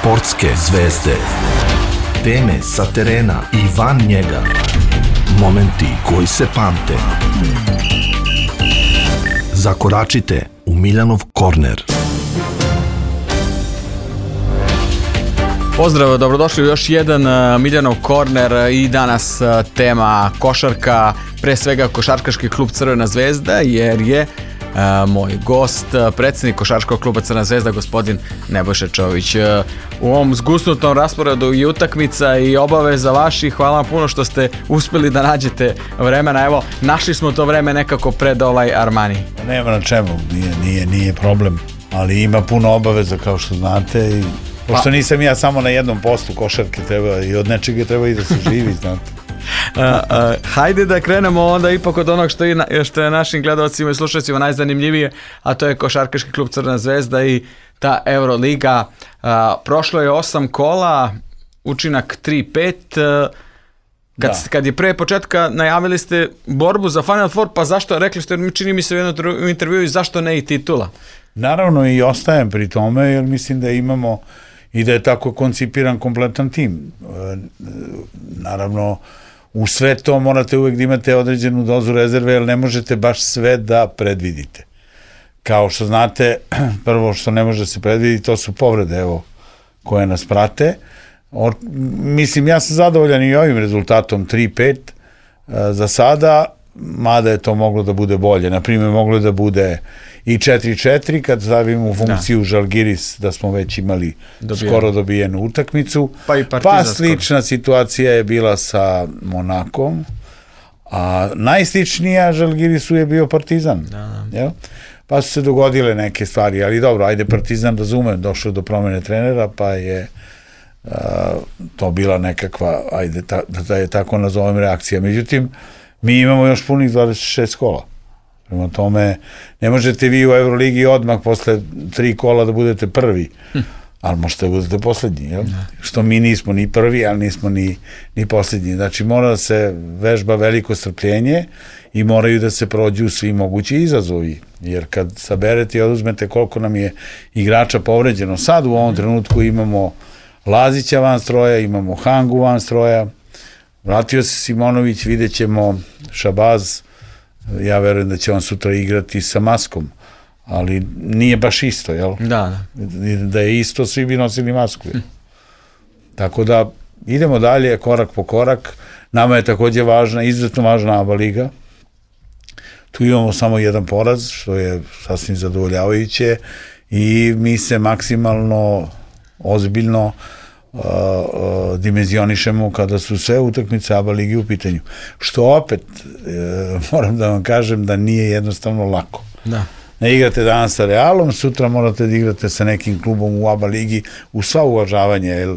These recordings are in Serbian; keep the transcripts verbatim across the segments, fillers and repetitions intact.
Sportske zvezde. Teme sa terena i van njega. Momenti koji se pamte. Zakoračite u Miljanov korner. Pozdrav, dobrodošli u još jedan Miljanov korner i danas tema košarka, pre svega košarkaški klub Crvena zvezda, jer je Uh, moj gost, predsjednik košarkaškog kluba Crvena zvezda, gospodin Nebojša Čović. Uh, u ovom zgusnutom rasporedu i utakmica i obaveza vaših, hvala vam puno što ste uspjeli da nađete vremena. Evo, našli smo to vreme nekako pred ovaj Armani. Nema na čemu, nije, nije, nije problem, ali ima puno obaveza kao što znate i pošto nisam ja samo na jednom poslu košarke, treba i od nečega treba i da se živi, znate. Uh, uh, hajde da krenemo onda ipak od onog što je, što je našim gledalcima i slušalcima najzanimljivije, a to je košarkaški klub Crvena zvezda i ta Euroliga. Uh, prošlo je osam kola, učinak tri pet. Uh, kad, kad je pre početka najavili ste borbu za Final Four, pa zašto, rekli ste, čini mi se u jednom intervjuu, zašto ne i titula? Naravno i ostajem pri tome, jer mislim da imamo i da je tako koncipiran kompletan tim. Naravno, u sve to morate uvek da imate određenu dozu rezerve, jer ne možete baš sve da predvidite. Kao što znate, prvo što ne može se predviditi, to su povrede, evo, koje nas prate. O, mislim, ja sam zadovoljan i ovim rezultatom tri pet za sada, mada je to moglo da bude bolje. Naprimjer, moglo da bude i četiri četiri kad stavimo u funkciju da. Žalgiris, da smo već imali Dobijen. skoro dobijenu utakmicu. Pa, i pa slična skoro. Situacija je bila sa Monakom, a najsličnija Žalgirisu je bio Partizan. Da, da. Jel? Pa su se dogodile neke stvari, ali dobro, ajde, Partizan, razumem, došao do promene trenera, pa je uh, to bila nekakva, ajde, ta, da je tako nazovem, reakcija. Međutim, mi imamo još punih dvadeset šest kola. Prema tome, ne možete vi u Euroligi odmah posle tri kola da budete prvi, hm. ali možete da budete poslednji, jel? Ne. Što mi nismo ni prvi, ali nismo ni, ni poslednji. Znači, mora da se vežba veliko strpljenje i moraju da se prođu svi mogući izazovi, jer kad saberete i oduzmete koliko nam je igrača povređeno, sad u ovom trenutku imamo Lazića van stroja, imamo Hangu van stroja, vratio se Simonović, vidjet ćemo Šabaz, ja verujem da će on sutra igrati sa maskom, ali nije baš isto, jel? Da, da. Da je isto, svi bi nosili masku. Hm. Tako da idemo dalje, korak po korak. Nama je takođe važna, izuzetno važna A B A liga. Tu imamo samo jedan poraz, što je sasvim zadovoljavajuće i mi se maksimalno ozbiljno Uh, uh, dimenzionišemo kada su sve utakmice A B A ligi u pitanju. Što opet, uh, moram da vam kažem da nije jednostavno lako. Da. Ne igrate danas sa Realom, sutra morate da igrate sa nekim klubom u A B A ligi, u sva uvažavanja, jer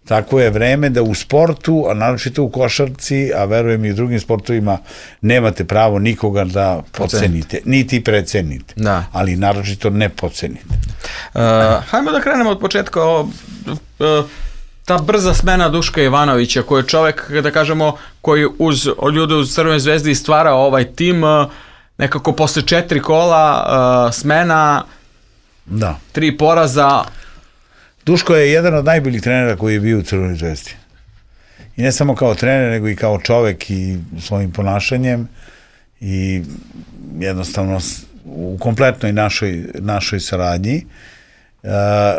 tako je vreme da u sportu, a naročito u košarci, a verujem i u drugim sportovima, nemate pravo nikoga da podcenite, niti precenite, da. Ali naročito ne podcenite. Uh, hajmo da krenemo od početka. O, uh, ta brza smena Duška Ivanovića, koji je čovek, da kažemo, koji uz ljude uz Crvenoj zvezdi stvarao ovaj tim, uh, nekako posle četiri kola uh, smena, da. tri poraza. Duško je jedan od najboljih trenera koji je bio u Crvenoj zvezdi. I ne samo kao trener, nego i kao čovek i svojim ponašanjem i jednostavno u kompletnoj našoj, našoj saradnji. E,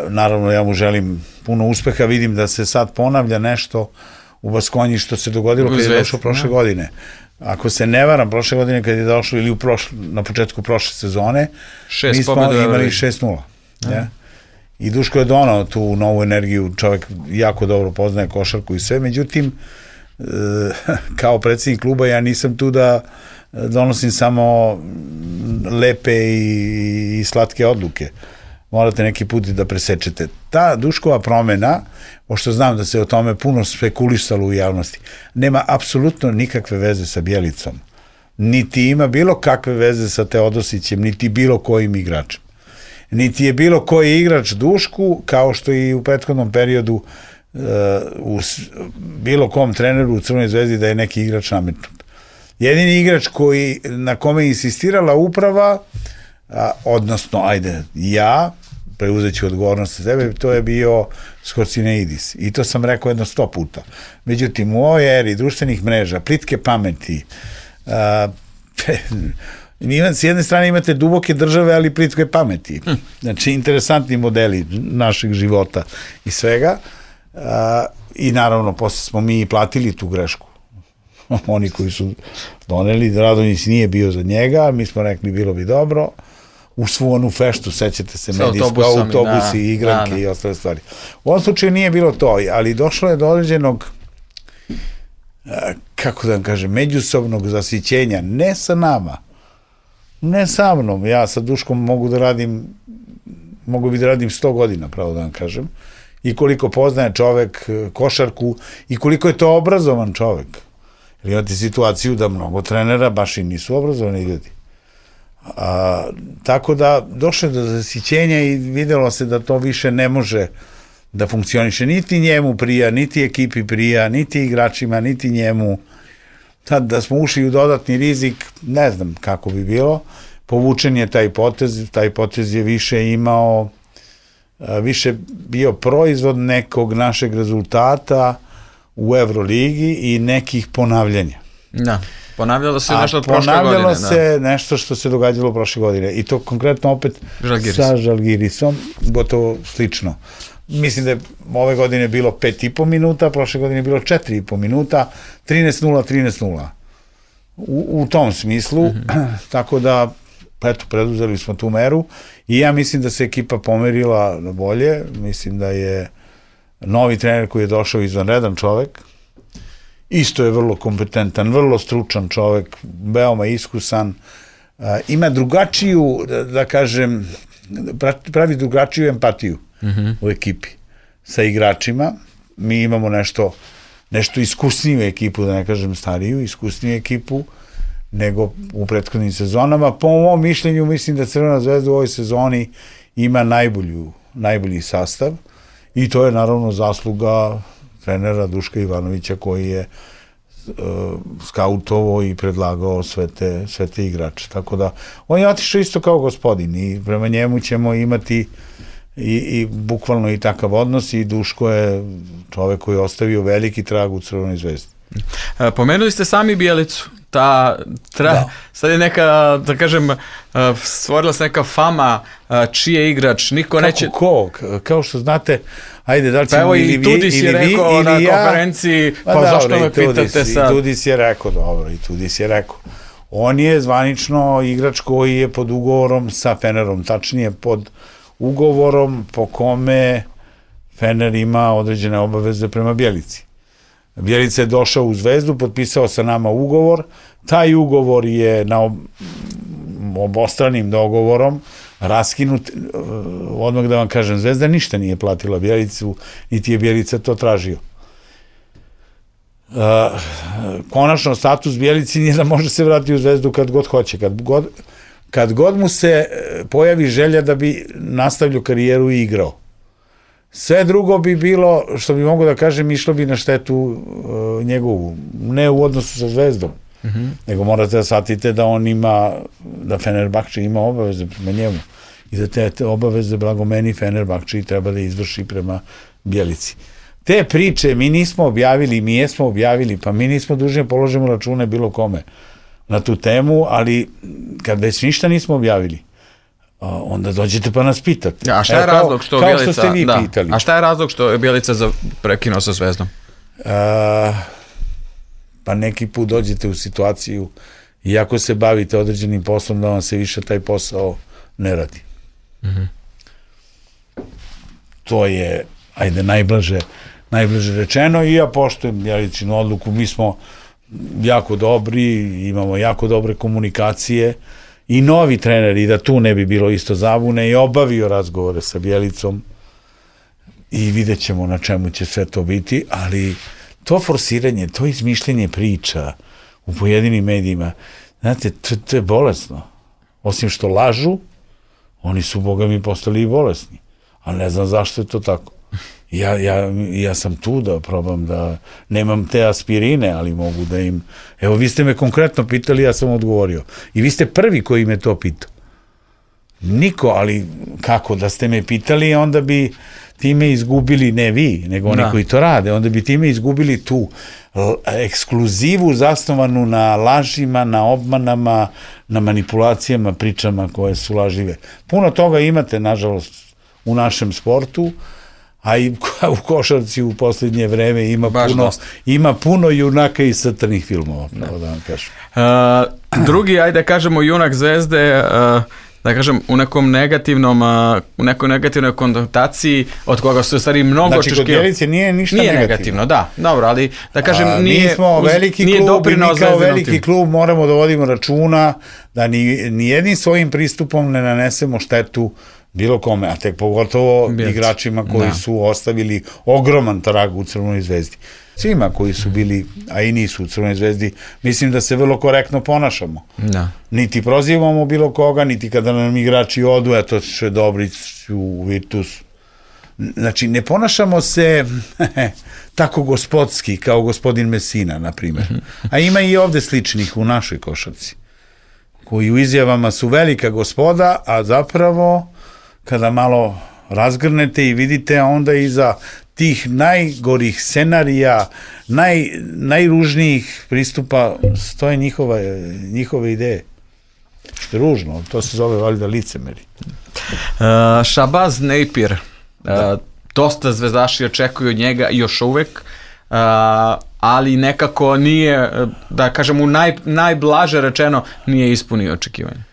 naravno, ja mu želim puno uspeha. Vidim da se sad ponavlja nešto u Baskonji što se dogodilo kad je došao prošle ja. godine. Ako se ne varam, prošle godine kad je došao ili u prošle, na početku prošle sezone, šest mi smo imali šest nula. Ja. Ja. I Duško je donao tu novu energiju, čovjek jako dobro poznaje košarku i sve, međutim, kao predsjednik kluba ja nisam tu da donosim samo lepe i, i slatke odluke. Morate neki put da presečete. Ta Duškova promena, pošto znam da se o tome puno spekulisalo u javnosti, nema apsolutno nikakve veze sa Bjelicom. Niti ima bilo kakve veze sa Teodosićem, niti bilo kojim igračem. Niti je bilo koji igrač Dušku, kao što i u prethodnom periodu uh, u bilo kom treneru u Crvenoj zvezdi da je neki igrač nametnut. Jedini igrač koji, na kome je insistirala uprava, a, odnosno, ajde, ja, preuzet ću odgovornost za sebe, to je bio Skorcineidis. I to sam rekao jedno sto puta. Međutim, u ovoj eri društvenih mreža, plitke pameti, a, s jedne strane imate duboke države, ali plitke pameti. Znači, interesantni modeli našeg života i svega. A, I naravno, posle smo mi platili tu grešku. Oni koji su doneli, Radonjić nije bio za njega, mi smo rekli bilo bi dobro. U svu onu feštu, sećate se, medijsko, autobusi, da, igranke da, da. I ostale stvari. U ovom slučaju nije bilo to, ali došlo je do određenog, kako da vam kažem, međusobnog zasićenja, ne sa nama, ne sa mnom, ja sa Duškom mogu da radim, mogu bi da radim sto godina, pravo da vam kažem, i koliko poznaje čovek košarku i koliko je to obrazovan čovek. Jer imate situaciju da mnogo trenera baš i nisu obrazovani ljudi. A, tako da došlo do zasićenja i videlo se da to više ne može da funkcioniše. Niti njemu prija, niti ekipi prija, niti igračima, niti njemu. Tad da smo ušli u dodatni rizik, ne znam kako bi bilo. Povučen je taj potez, taj potez je više imao, više bio proizvod nekog našeg rezultata u Evroligi i nekih ponavljanja. Da. Ponavljalo se nešto od prošle godine. Ponavljalo se nešto što se događalo prošle godine. I to konkretno opet Žalgiris. Sa Žalgirisom, gotovo slično. Mislim da je ove godine bilo pet i po minuta, prošle godine je bilo četiri i po minuta, trinaest nula, trinaest nula. U, u tom smislu, mm-hmm. Tako da, eto, preduzeli smo tu meru i ja mislim da se ekipa pomerila na bolje. Mislim da je novi trener koji je došao izvanredan čovek, isto je vrlo kompetentan, vrlo stručan čovek, veoma iskusan, ima drugačiju, da kažem, pravi drugačiju empatiju mm-hmm. u ekipi sa igračima. Mi imamo nešto, nešto iskusniju ekipu, da ne kažem stariju, iskusniju ekipu nego u prethodnim sezonama. Po mom mišljenju, mislim da Crvena zvezda u ovoj sezoni ima najbolju, najbolji sastav i to je naravno zasluga trenera Duška Ivanovića koji je uh, skautovo i predlagao sve te, sve te igrače. Tako da, on je otišao isto kao gospodin i prema njemu ćemo imati i, i bukvalno i takav odnos i Duško je čovek koji je ostavio veliki trag u Crvenoj zvezdi. Pomenuli ste sami Bjelicu. Ta, tra, da. Sad je neka, da kažem, stvorila se neka fama čiji je igrač, niko kako, neće... Kako, kao što znate, ajde, da li ćemo pa ili vi, ili vi, Tudis je rekao na ja, konferenciji, pa, pa zašto me pitate sad? I Tudis je rekao, dobro, i Tudis je rekao. On je zvanično igrač koji je pod ugovorom sa Fenerom, tačnije pod ugovorom po kome Fener ima određene obaveze prema Bjelici. Bjelica je došao u Zvezdu, potpisao sa nama ugovor, taj ugovor je na ob, obostranim dogovorom raskinut, odmah da vam kažem, Zvezda ništa nije platila Bjelicu, niti je Bjelica to tražio. Uh, konačno status Bjelici nije da može se vratiti u Zvezdu kad god hoće, kad god, kad god mu se pojavi želja da bi nastavljao karijeru i igrao. Sve drugo bi bilo, što bi mogu da kažem, išlo bi na štetu uh, njegovu, ne u odnosu sa Zvezdom, mm-hmm. nego morate da shvatite da on ima, da Fenerbahče ima obaveze prema njemu i da te, te obaveze blagomeni Fenerbahče treba da izvrši prema Bjelici. Te priče mi nismo objavili, mi jesmo objavili, pa mi nismo dužni položimo račune bilo kome na tu temu, ali kad već ništa nismo objavili, onda dođete pa nas pitate. A šta je e, razlog što kao, Bjelica... Kao što ste vi da. pitali. A šta je razlog što je Bjelica za prekinuo sa Zvezdom? A, pa neki put dođete u situaciju i ako se bavite određenim poslom da vam se više taj posao ne radi. Mm-hmm. To je, ajde, najblaže, najblaže rečeno i ja poštujem Bjelicinu odluku. Mi smo jako dobri, imamo jako dobre komunikacije i novi trener, i da tu ne bi bilo isto zabune, je obavio razgovore sa Bjelicom i vidjet ćemo na čemu će sve to biti, ali to forsiranje, to izmišljenje priča u pojedinim medijima, znate, to, to je bolesno. Osim što lažu, oni su, boga mi, postali i bolesni. Ali ne znam zašto je to tako. Ja, ja, ja sam tu da probam da, nemam te aspirine, ali mogu da im, evo vi ste me konkretno pitali, ja sam odgovorio. I vi ste prvi koji me to pitao. Niko, ali kako, da ste me pitali, onda bi time izgubili, ne vi, nego oni da. koji to rade, onda bi time izgubili tu ekskluzivu zasnovanu na lažima, na obmanama, na manipulacijama, pričama koje su lažive. Puno toga imate, nažalost, u našem sportu, a i u košarci u posljednje vreme ima Baš puno dosta. ima puno junaka i crtanih filmova, pravo da vam kažem. Uh, drugi, ajde kažemo, junak Zvezde, uh, da kažem, u nekom negativnom, uh, u nekoj negativnoj konotaciji, od koga su stvari mnogo znači, očekivali. Znači, kod Bjelice nije ništa nije negativno. negativno, da, dobro, ali da kažem, a, nije, mi smo veliki nije klub i mi kao veliki tim. klub moramo da vodimo računa da ni, ni jednim svojim pristupom ne nanesemo štetu bilo kome, a tek pogotovo Bijelci. igračima koji da. su ostavili ogroman trag u Crvenoj Zvezdi. Svima koji su bili, a i nisu u Crvenoj Zvezdi, mislim da se vrlo korektno ponašamo. Da. Niti prozivamo bilo koga, niti kada nam igrači odu, eto še Dobrić u Virtus. Znači, ne ponašamo se tako gospodski kao gospodin Messina, na primjer. A ima i ovde sličnih u našoj košarci, koji u izjavama su velika gospoda, a zapravo kada malo razgrnete i vidite, onda iza tih najgorih scenarija, naj, najružnijih pristupa stoje njihova, njihove ideje. Što je ružno, to se zove valjda licemeri. Uh, Shabazz Napier, uh, dosta zvezdaši očekuju od njega još uvek, uh, ali nekako nije, da kažem, u naj, najblaže rečeno, nije ispunio očekivanje.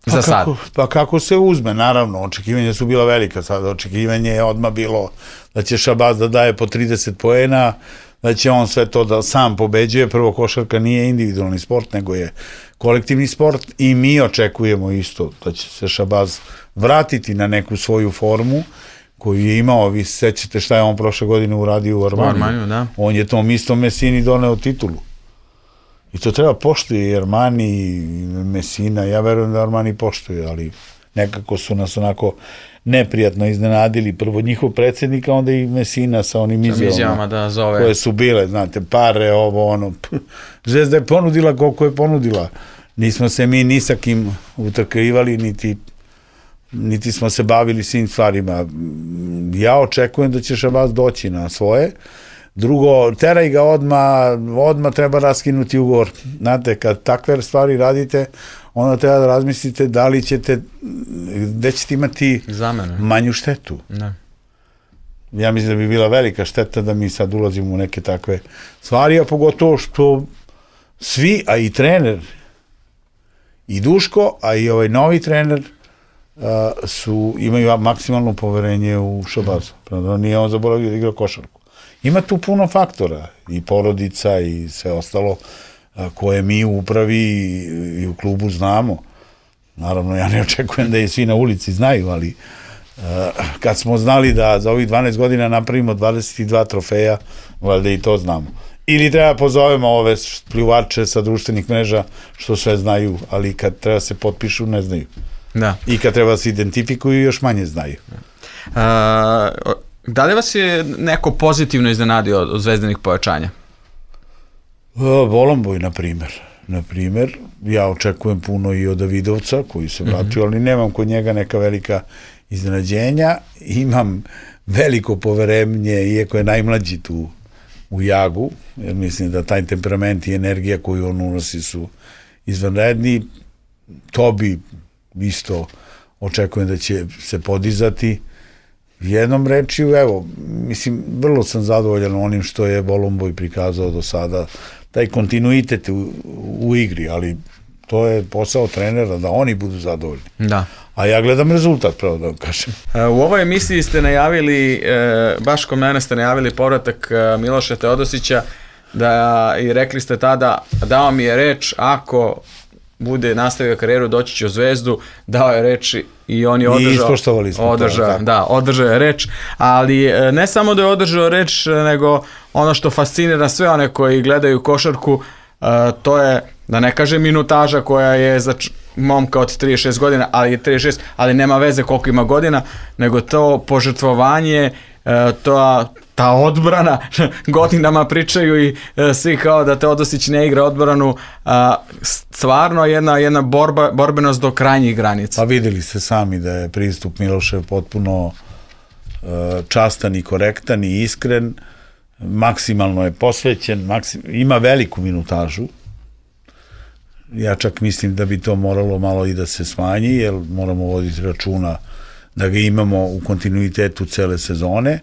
Pa za sad. Kako, pa kako se uzme, naravno, očekivanja su bila velika, sad očekivanje je odmah bilo da će Shabazz da daje po trideset poena, da će on sve to da sam pobeđuje. Prvo, košarka nije individualni sport, nego je kolektivni sport i mi očekujemo isto da će se Shabazz vratiti na neku svoju formu koju je imao. Vi se sećate šta je on prošle godine uradio u Armaniju. Armaniju, da. On je tom istom Messini doneo titulu. I to treba poštuje i Armani i Messina. Ja verujem da Armani poštuje, ali nekako su nas onako neprijatno iznenadili. Prvo njihov predsjednik, a onda i Messina sa onim izjavama da zove. Koje su bile, znate, pare, ovo, ono. Zvezda je ponudila koliko je ponudila. Nismo se mi ni sa kim utrkivali, niti, niti smo se bavili svim stvarima. Ja očekujem da će Shabazz doći na svoje. Drugo, teraj ga odmah, odmah treba raskinuti ugovor. Znate, kad takve stvari radite, onda treba da razmislite da li ćete, gde ćete imati Zamene. manju štetu. Ne. Ja mislim da bi bila velika šteta da mi sad ulazimo u neke takve stvari, a pogotovo što svi, a i trener, i Duško, a i ovaj novi trener, uh, su, imaju maksimalno poverenje u Shabazza. Nije on zaboravio da igra košarku. Ima tu puno faktora, i porodica i sve ostalo koje mi u upravi i u klubu znamo. Naravno, ja ne očekujem da je svi na ulici znaju, ali kad smo znali da za ovih dvanaest godina napravimo dvadeset dva trofeja, valjda i to znamo. Ili treba pozovemo ove pljuvače sa društvenih mreža što sve znaju, ali kad treba se potpišu, ne znaju. Da. I kad treba se identifikuju, još manje znaju. A... Da li vas je neko pozitivno iznenadio od zvezdanih pojačanja? Volomboj, na primer. Na primer, ja očekujem puno i od Davidovca, koji se vratio, mm-hmm. ali nemam kod njega neka velika iznenađenja. Imam veliko poverenje, iako je najmlađi tu u Jagu, jer mislim da taj temperament i energija koju on unosi su izvanredni. Tobi isto očekujem da će se podizati. Jednom rečju, evo, mislim, vrlo sam zadovoljan onim što je Volomboj prikazao do sada, taj kontinuitet u, u igri, ali to je posao trenera da oni budu zadovoljni. Da. A ja gledam rezultat, pravo da vam kažem. U ovoj emisiji ste najavili, baš kod mene ste najavili povratak Miloša Teodosića, da, i rekli ste tada, dao mi je reč, ako bude nastavio karijeru, doći će u Zvezdu, dao je reč i on je održao. I ispoštovali smo održao, to. Da, održao je reč, ali ne samo da je održao reč, nego ono što fascinira sve one koji gledaju košarku, to je, da ne kažem minutaža koja je za momka od trideset šest godina, ali je trideset šest, ali nema veze koliko ima godina, nego to požrtvovanje, to ta odbrana, godinama pričaju i e, svi kao da Teodosić ne igra odbranu, a, stvarno jedna, jedna borba, borbenost do krajnjih granica. Pa videli ste sami da je pristup Milošev potpuno e, častan i korektan i iskren, maksimalno je posvećen, maksim, ima veliku minutažu. Ja čak mislim da bi to moralo malo i da se smanji, jer moramo voditi računa da ga imamo u kontinuitetu cele sezone,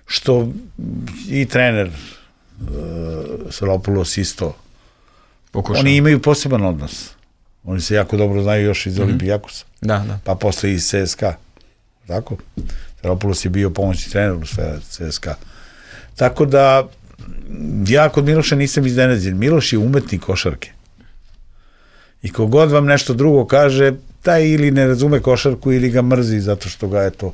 što i trener uh, Sralopulos isto. Pokušam. Oni imaju poseban odnos. Oni se jako dobro znaju još iz mm-hmm. Olimpijakosa. Da, da. Pa posle iz C S K A. Tako? Sralopulos je bio pomoćni trener u C S K A. Tako da, ja kod Miloša nisam iznenađen. Miloš je umetnik košarke. I kogod vam nešto drugo kaže, taj ili ne razume košarku ili ga mrzi zato što ga je to,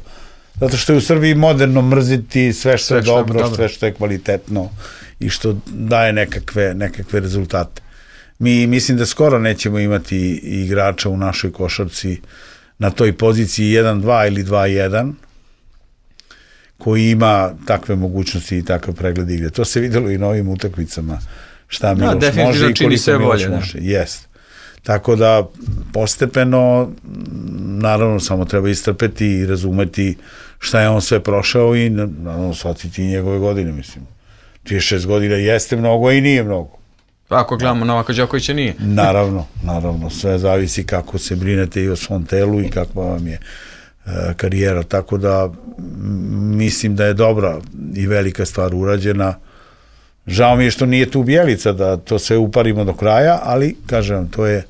zato što je u Srbiji moderno mrziti sve što sve je što dobro, dobro, sve što je kvalitetno i što daje nekakve, nekakve rezultate. Mi mislim da skoro nećemo imati igrača u našoj košarci na toj poziciji jedan dva ili dva jedan koji ima takve mogućnosti i takav pregled igre. To se videlo i na ovim utakmicama šta Miloš no, može i koliko Miloš može. Jest. Tako da postepeno, naravno samo treba istrpeti i razumeti šta je on sve prošao i naravno shvatiti i njegove godine, mislim. trideset šest godina jeste mnogo i nije mnogo. Ako gledamo Novaka Đokovića nije. Naravno, naravno, sve zavisi kako se brinete i o svom telu i kakva vam je e, karijera, tako da mislim da je dobra i velika stvar urađena. Žao mi je što nije tu Bjelica da to sve uparimo do kraja, ali kažem, to je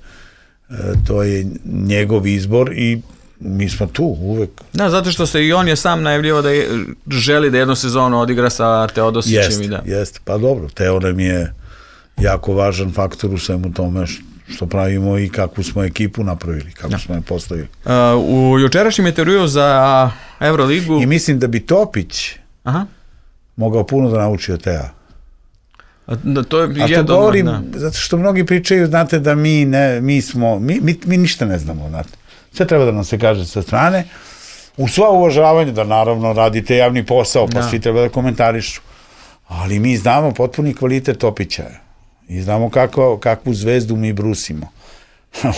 to je njegov izbor i mi smo tu uvek. Da, zato što se i on je sam najavljivao da je, želi da jednu sezonu odigra sa Teodosićem. Jest, i da. Jeste, pa dobro, Teo nam je jako važan faktor u svemu tome što pravimo i kakvu smo ekipu napravili, kako ja. smo je postavili. Uh, u jučerašnjem intervjuu za Euroligu... I mislim da bi Topić Aha. mogao puno da nauči od Tea. Da, to je A to govorim, da. zato što mnogi pričaju, znate, da mi ne, mi smo, mi, mi, mi ništa ne znamo, znate. Sve treba da nam se kaže sa strane, u sva uvažavanje da naravno radite javni posao, pa da. svi treba da komentarišu, ali mi znamo potpuni kvalitet Topića i znamo kako, kakvu zvezdu mi brusimo.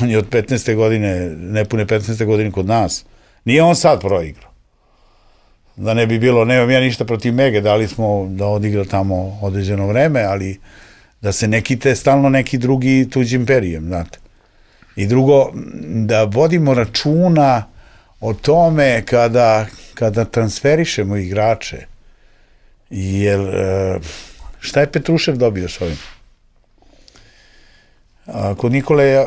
On je od petnaeste godine, nepune petnaeste godine kod nas, nije on sad proigrao. Da ne bi bilo, nemam ja ništa protiv Mege, dali smo da odigra tamo određeno vreme, ali da se ne kite stalno neki drugi tuđim perijem, znate. I drugo, da vodimo računa o tome kada, kada transferišemo igrače, jer šta je Petrušev dobio s ovim? A kod Nikole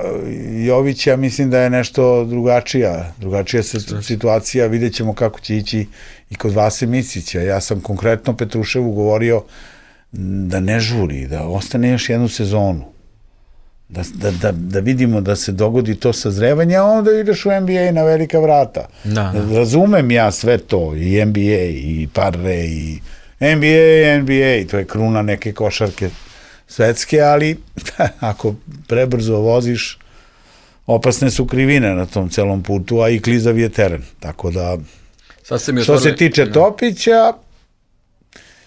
Jovića mislim da je nešto drugačija, drugačija situacija, vidjet ćemo kako će ići i kod Vase Micića. Ja sam konkretno Petruševu govorio da ne žuri, da ostane još jednu sezonu, da, da, da, da vidimo da se dogodi to sazrevanje, a onda ideš u N B A na velika vrata. Da, da. Razumem ja sve to, i N B A, i Parre, i N B A, N B A, to je kruna neke košarke svetske, ali ako prebrzo voziš, opasne su krivine na tom celom putu, a i klizav je teren. Tako da, što otvorili, se tiče da. Topića,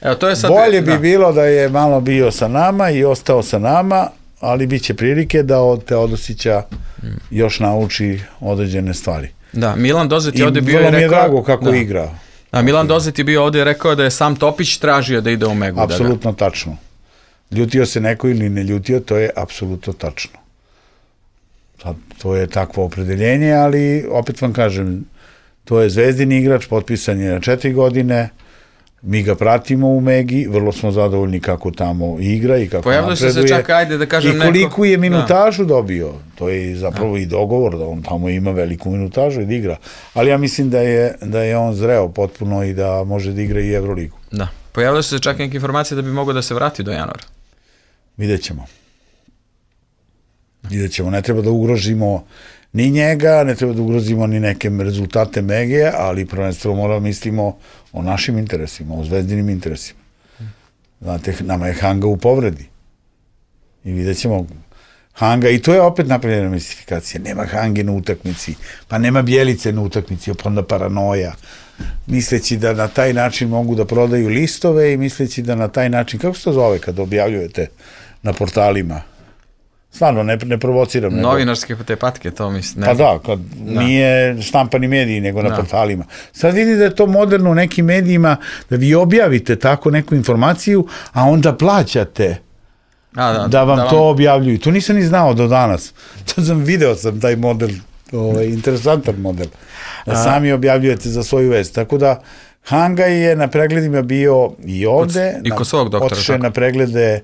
Evo, to je sad, bolje bi da. bilo da je malo bio sa nama i ostao sa nama, ali bit će prilike da od Teodosića mm. još nauči određene stvari. Da, Milan Dozet je ovde bio i rekao... I vrlo mi je drago kako da. igra. A Milan Dozet je bio ovde i rekao da je sam Topić tražio da ide u Megu. Apsolutno da tačno. Ljutio se neko ili ne ljutio, to je apsolutno tačno. Sad, to je takvo opredeljenje, ali opet vam kažem, to je zvezdini igrač, potpisan je na četiri godine, mi ga pratimo u Megi, vrlo smo zadovoljni kako tamo igra i kako Pojavljaju napreduje. Se čak, ajde da kažem, i koliko neko... je minutažu da. dobio. To je zapravo da. i dogovor da on tamo ima veliku minutažu i da igra. Ali ja mislim da je, da je on zreo potpuno i da može da igra i Euroligu. Da. Pojavljaju se čak neke informacije da bi mogao da se vrati do januara. Vidjet ćemo. Vidjet ćemo. Ne treba da ugrožimo ni njega, ne treba da ugrozimo ni neke rezultate Mege, ali prvenstveno moramo mislimo o našim interesima, o zvezdinim interesima. Znate, nama je Hanga u povredi. I vidjet ćemo Hanga, i to je opet napravljena mistifikacija. Nema Hange na utakmici, pa nema Bjelice na utakmici, pa onda paranoja. Misleći da na taj način mogu da prodaju listove i misleći da na taj način, kako se to zove kad objavljujete na portalima? Stvarno, ne, ne provociram. Novinarske te patke, to mislim. Pa da, kad da. Nije štampani mediji, nego na da. portalima. Sad vidi da je to moderno u nekim medijima, da vi objavite tako neku informaciju, a onda plaćate a, da, da vam da to vam... objavljuju. To nisam ni znao do danas. To sam video sam taj model, ovaj, interesantan model. Da a... sami objavljujete za svoju vest. Tako da, Hanga je na pregledima bio i ovde. I kod svog doktora. Otišao na preglede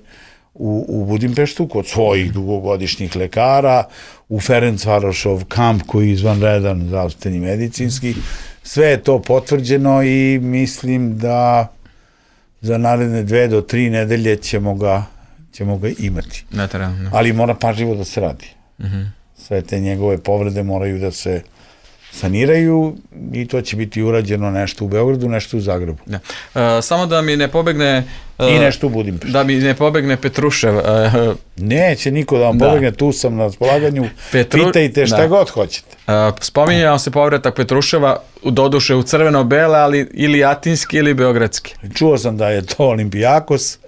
U, u Budimpeštu, kod svojih dugogodišnjih lekara, u Ferencvarošov kamp koji je izvanredan zdravstveni medicinski. Sve je to potvrđeno i mislim da za naredne dve do tri nedelje ćemo ga, ćemo ga imati. Ne treba, ne. Ali mora pažljivo da se radi. Uh-huh. Sve te njegove povrede moraju da se saniraju i to će biti urađeno nešto u Beogradu, nešto u Zagrebu. Ja. E, samo da mi ne pobegne... E, I nešto u Budimpeštu. Da mi ne pobegne Petrušev. E, Neće niko da vam da. pobegne, tu sam na raspolaganju. Petru... Pitajte šta da. god hoćete. E, spominjao se povratak Petruševa, doduše u crveno-bele, ali ili atinski ili beogradski. Čuo sam da je to Olimpijakos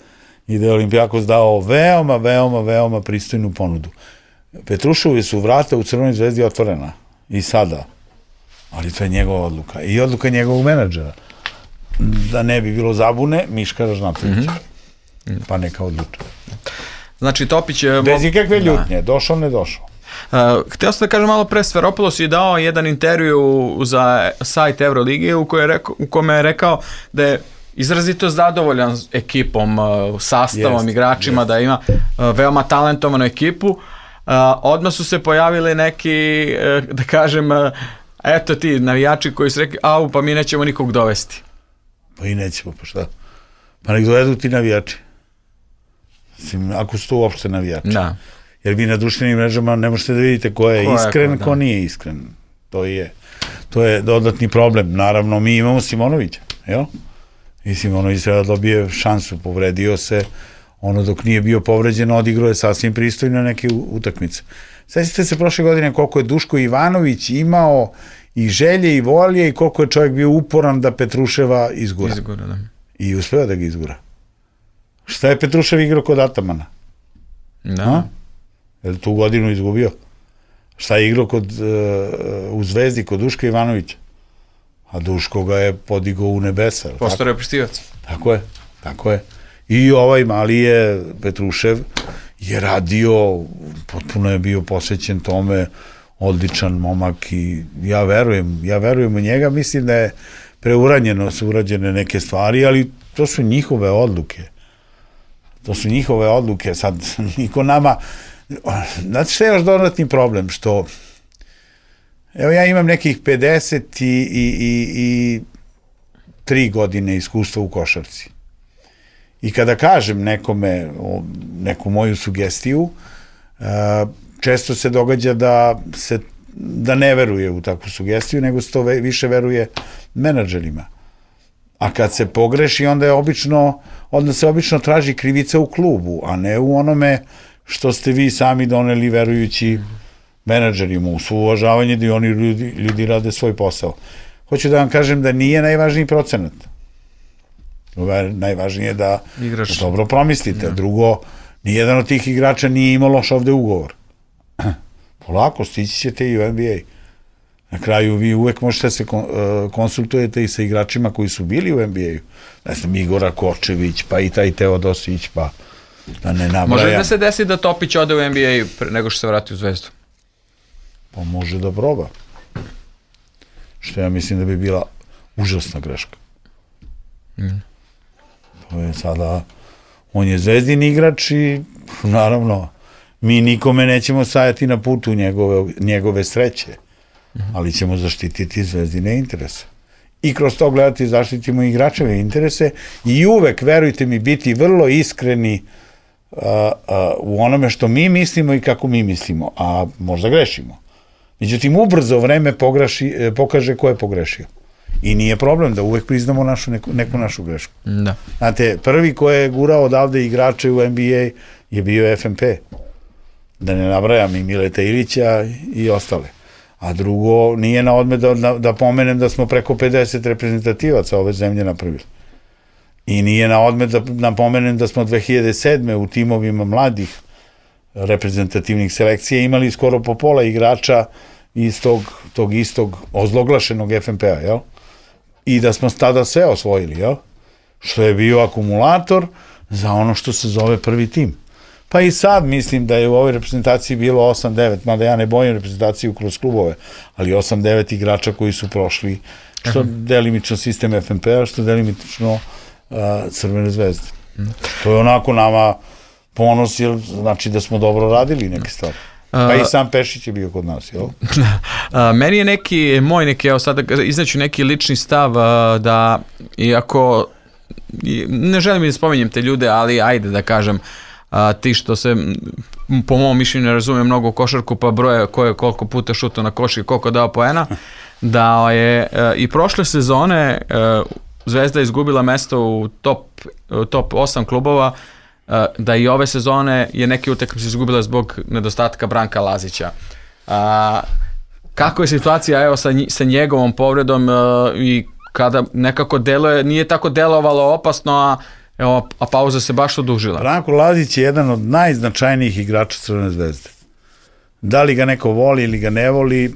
i da je Olimpijakos dao veoma, veoma, veoma pristojnu ponudu. Petruševi su vrata u Crvenoj zvezdi otvorena. I sada. Ali to je njegova odluka. I odluka njegovog menadžera. Da ne bi bilo zabune, Miška Ražnatovića. Mm-hmm. Pa neka odluča. Znači, Topić je... Bez ikakve ljutnje. Da. Došao, ne došao. Uh, htio sam da kažem malo pre, Sferopoulos je dao jedan intervju za sajt Euroligije u, je rekao, u kome je rekao da je izrazito zadovoljan ekipom, sastavom, jest, igračima, jest. Da ima veoma talentovanu ekipu. Uh, odmah su se pojavili neki, uh, da kažem, uh, eto ti navijači koji su rekli, au, pa mi nećemo nikog dovesti. Pa i nećemo, pa šta? Pa nek dovedu ti navijači. Mislim, ako su to uopšte navijači. Da. Jer vi na društvenim mrežama ne možete da vidite ko je ko iskren, je, ko, ko nije iskren. To je, to je dodatni problem. Naravno, mi imamo Simonovića, jel? I Simonović treba da dobije šansu, povredio se, ono dok nije bio povređen, odigrao je sasvim pristojno neke utakmice. Sjećate se prošle godine koliko je Duško Ivanović imao i želje i volje i koliko je čovjek bio uporan da Petruševa izgura. Izgura, da. I uspeo da ga izgura. Šta je Petrušev igrao kod Atamana? Da. A? Je li tu godinu izgubio? Šta je igrao kod, uh, u Zvezdi kod Duška Ivanovića? A Duško ga je podigao u nebesa. Postao reprezentativac. Tako je, tako je. I ovaj mali je, Petrušev, je radio, potpuno je bio posvećen tome, odličan momak i ja verujem, ja verujem u njega, mislim da je preuranjeno su urađene neke stvari, ali to su njihove odluke. To su njihove odluke, sad niko nama, znate što je još dodatni problem, što evo ja imam nekih pedeset i, i, i, i tri godine iskustva u košarci. I kada kažem nekome neku moju sugestiju, često se događa da se da ne veruje u takvu sugestiju, nego se to više veruje menadžerima. A kad se pogreši, onda je obično, onda se obično traži krivica u klubu, a ne u onome što ste vi sami doneli verujući menadžerima, u svo uvažavanje da i oni ljudi, ljudi rade svoj posao. Hoću da vam kažem da nije najvažniji procenat. Najvažnije je da Igrač. dobro promislite. Ja. Drugo, nijedan od tih igrača nije imao loš ovde ugovor. Polako, stići ćete i u N B A. Na kraju vi uvek možete se konsultujete i sa igračima koji su bili u N B A-u. Ne znam, Igora Kočević, pa i taj Teodosić, pa da ne nabrajam. Može da se desi da Topić ode u N B A nego što se vrati u Zvezdu? Pa može da proba. Što ja mislim da bi bila užasna greška. Mm. To je sada, on je Zvezdin igrač i naravno mi nikome nećemo stajati na putu njegove, njegove sreće, mm-hmm. ali ćemo zaštititi Zvezdine interese. I kroz to gledati zaštitimo igračeve interese i uvek, verujte mi, biti vrlo iskreni uh, uh, u onome što mi mislimo i kako mi mislimo, a možda grešimo. Međutim, ubrzo vreme pograši, pokaže ko je pogrešio. I nije problem da uvek priznamo našu, neku, neku našu grešku. Da. Znate, prvi ko je gurao odavde igrače u N B A je bio F N P. da ne nabrajam i Mileta Ilića i ostale. A drugo, nije na odmet da, da, da pomenem da smo preko pedeset reprezentativaca ove zemlje napravili. I nije na odmet da napomenem da smo dve hiljade sedme u timovima mladih reprezentativnih selekcija imali skoro po pola igrača iz tog, tog istog ozloglašenog F N P-a, jel? I da smo tada sve osvojili, jel? Što je bio akumulator za ono što se zove prvi tim. Pa i sad mislim da je u ovoj reprezentaciji bilo osam devet, mada ja ne bojim reprezentaciju kroz klubove, ali osam devet igrača koji su prošli, što uh-huh. delimično sistem F N P-a, što delimično uh, Crvene zvezde. Uh-huh. To je onako nama ponos, jer znači da smo dobro radili neke stvari. Pa i sam Pešić je bio kod nas, jel? Meni je neki, moj neki, evo sada izneću neki lični stav da, iako ne želim da spominjem te ljude, ali ajde da kažem, ti što se po mom mišljenju ne razume mnogo u košarku, pa broje ko je koliko puta šuto na koš i koliko dao poena, da je i prošle sezone Zvezda izgubila mesto u top, top osam klubova, da i ove sezone je neke utakmice izgubila zbog nedostatka Branka Lazića. A, kako je situacija evo sa, sa njegovom povredom a, i kada nekako deluje, nije tako delovalo opasno, a, evo, a pauza se baš odužila. Branko Lazić je jedan od najznačajnijih igrača Crvene zvezde. Da li ga neko voli ili ga ne voli,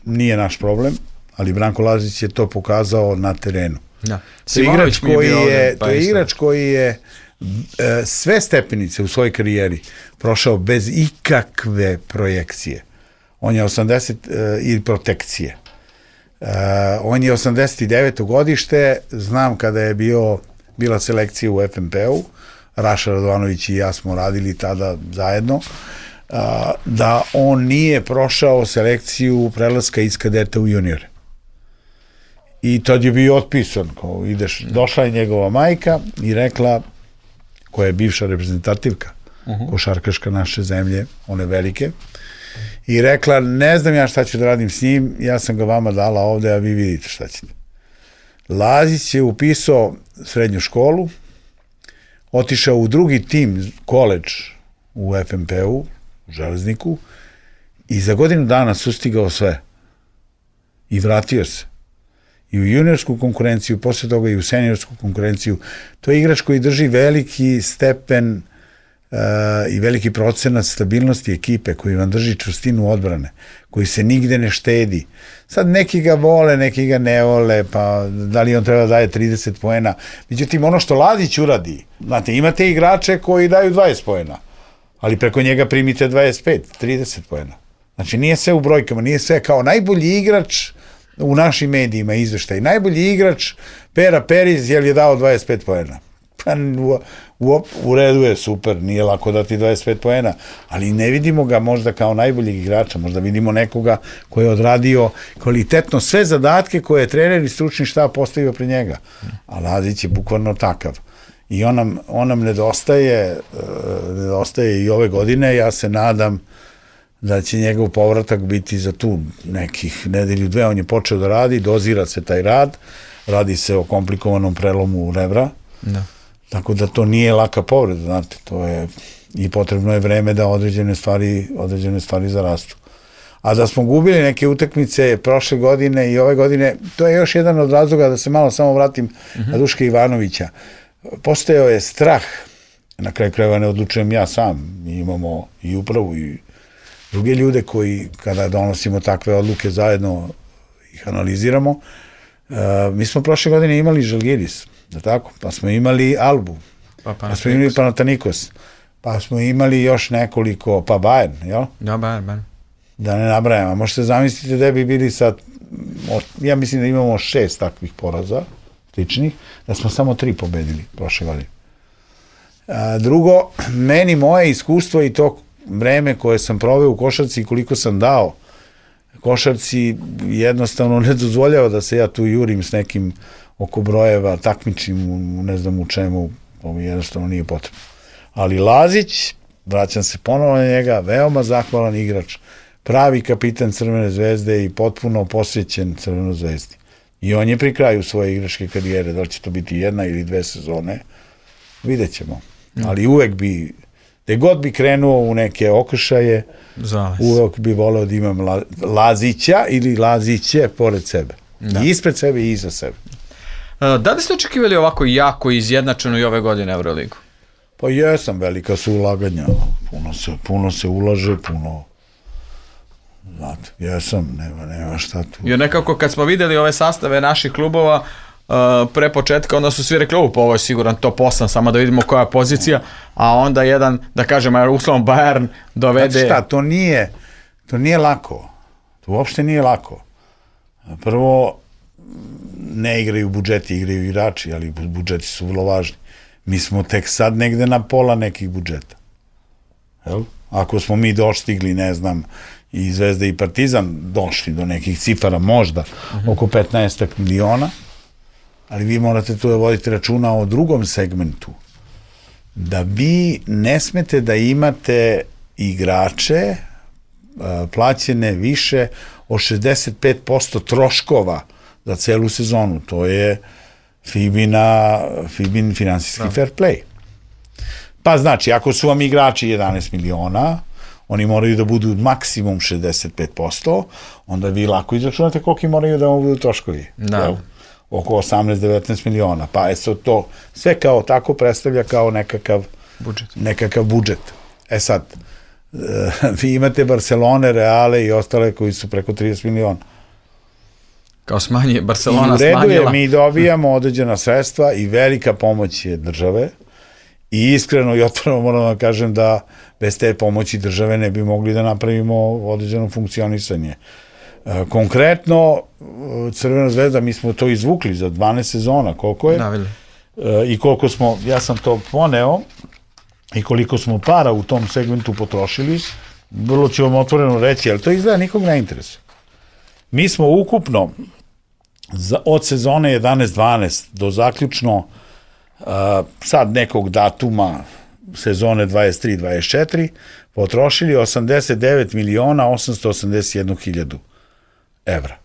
nije naš problem, ali Branko Lazić je to pokazao na terenu. Da. To je igrač koji je, to je igrač koji je e, sve stepenice u svojoj karijeri prošao bez ikakve projekcije. On je osamdeset e, i protekcije. E, on je osamdeset deveto godište, znam kada je bio bila selekcija u F N P-u, Raša Radovanović i ja smo radili tada zajedno, a, da on nije prošao selekciju prelaska iz kadeta u juniore. I tad je bio otpisan, kao ideš, došla je njegova majka i rekla, koja je bivša reprezentativka, uh-huh. košarkaška naše zemlje, one velike, i rekla, ne znam ja šta ću da radim s njim, ja sam ga vama dala ovde, a vi vidite šta ćete. Lazić je upisao srednju školu, otišao u drugi tim, koledž u F N P-u, u Železniku, i za godinu dana sustigao sve. I vratio se. I u juniorsku konkurenciju, posle toga i u seniorsku konkurenciju. To je igrač koji drži veliki stepen uh, i veliki procenat stabilnosti ekipe, koji vam drži čvrstinu odbrane, koji se nigde ne štedi. Sad neki ga vole, neki ga ne vole, pa da li on treba da daje trideset poena. Međutim, ono što Lazić uradi, znate, imate igrače koji daju dvadeset poena, ali preko njega primite dvadeset pet, trideset poena. Znači, nije sve u brojkama, nije sve kao najbolji igrač u našim medijima izveštaj. Najbolji igrač Pera Periz je li je dao dvadeset pet poena. Pa u, u, u redu je, super, nije lako dati dvadeset pet poena, ali ne vidimo ga možda kao najboljeg igrača, možda vidimo nekoga koji je odradio kvalitetno sve zadatke koje je trener i stručni štab postavio pre njega. A Lazić je bukvalno takav. I on nam, on nam nedostaje, uh, nedostaje i ove godine, ja se nadam da će njegov povratak biti za tu nekih nedelju dve, on je počeo da radi, dozira se taj rad, radi se o komplikovanom prelomu rebra, da. Tako da to nije laka povreda, znate, to je, i potrebno je vreme da određene stvari, određene stvari zarastu. A da smo gubili neke utakmice prošle godine i ove godine, to je još jedan od razloga, da se malo samo vratim uh-huh. na Duška Ivanovića. Postojao je strah, na kraju krajeva ne odlučujem ja sam, mi imamo i upravu i druge ljude koji, kada donosimo takve odluke, zajedno ih analiziramo. Uh, mi smo prošle godine imali Žalgiris, da tako? Pa smo imali Albu, pa, pa smo imali Panathinaikos, pa smo imali još nekoliko, pa Bayern, jel? Da, Bayern, Bayern. Da ne nabrajam, a možete zamisliti da bi bili sad, ja mislim da imamo šest takvih poraza, sličnih, da smo samo tri pobedili prošle godine. A, drugo, meni moje iskustvo i to vreme koje sam proveo u košarci i koliko sam dao košarci jednostavno ne dozvoljava da se ja tu jurim s nekim oko brojeva, takmičim u ne znam u čemu, to mi jednostavno nije potrebno. Ali Lazić, vraćam se ponovo na njega, veoma zahvalan igrač, pravi kapitan Crvene zvezde i potpuno posvećen Crvenoj zvezdi. I on je pri kraju svoje igračke karijere, da li će to biti jedna ili dve sezone, vidjet ćemo. Ali uvek bi Gde god bi krenuo u neke okršaje, Zales. uvek bi voleo da imam la, Lazića ili Laziće pored sebe. Da. I ispred sebe i iza sebe. Da li ste očekivali ovako jako izjednačeno i ove godine Euroligu? Pa jesam, velika su ulaganja. Puno se, puno se ulaže, puno... Znate, jesam, nema, nema šta tu. Jer nekako kad smo videli ove sastave naših klubova, uh, pre početka, onda su svi rekli, ovo, ovo je siguran top osam, samo da vidimo koja je pozicija, a onda jedan, da kažem, uslovom Bayern dovede... Znači šta, to nije, to nije lako. To uopšte nije lako. Prvo, ne igraju budžeti, igraju igrači, ali budžeti su vrlo važni. Mi smo tek sad negde na pola nekih budžeta. Jel? Ako smo mi dostigli, ne znam, i Zvezda i Partizan došli do nekih cifara, možda uh-huh. oko petnaest miliona, ali vi morate tu da vodite računa o drugom segmentu. Da vi ne smete da imate igrače uh, plaćene više od šezdeset pet posto troškova za celu sezonu. To je Fibina, Fibin finansijski no. fair play. Pa znači, ako su vam igrači jedanaest miliona, oni moraju da budu maksimum šezdeset pet posto, onda vi lako izračunate koliki moraju da vam budu troškovi. Da. Oko osamnaest do devetnaest miliona. Pa je to sve kao tako predstavlja kao nekakav budžet. Nekakav budžet. E sad, vi imate Barcelone, Reale i ostale koji su preko trideset miliona. Kao smanje, Barcelona I u redu smanjila. Je, mi dobijamo određena sredstva i velika pomoć je države i iskreno i otvoreno moram da kažem da bez te pomoći države ne bi mogli da napravimo određeno funkcionisanje. E, konkretno, Crvena zvezda, mi smo to izvukli za dvanaest sezona, koliko je? Da, e, I koliko smo, ja sam to poneo, i koliko smo para u tom segmentu potrošili, vrlo ću vam otvoreno reći, ali to izgleda nikog ne interesuje. Mi smo ukupno za, od sezone jedanaest dvanaest do zaključno uh, sad nekog datuma sezone dvadeset tri dvadeset četiri potrošili osamdeset devet miliona osamsto osamdeset jednu hiljadu evra.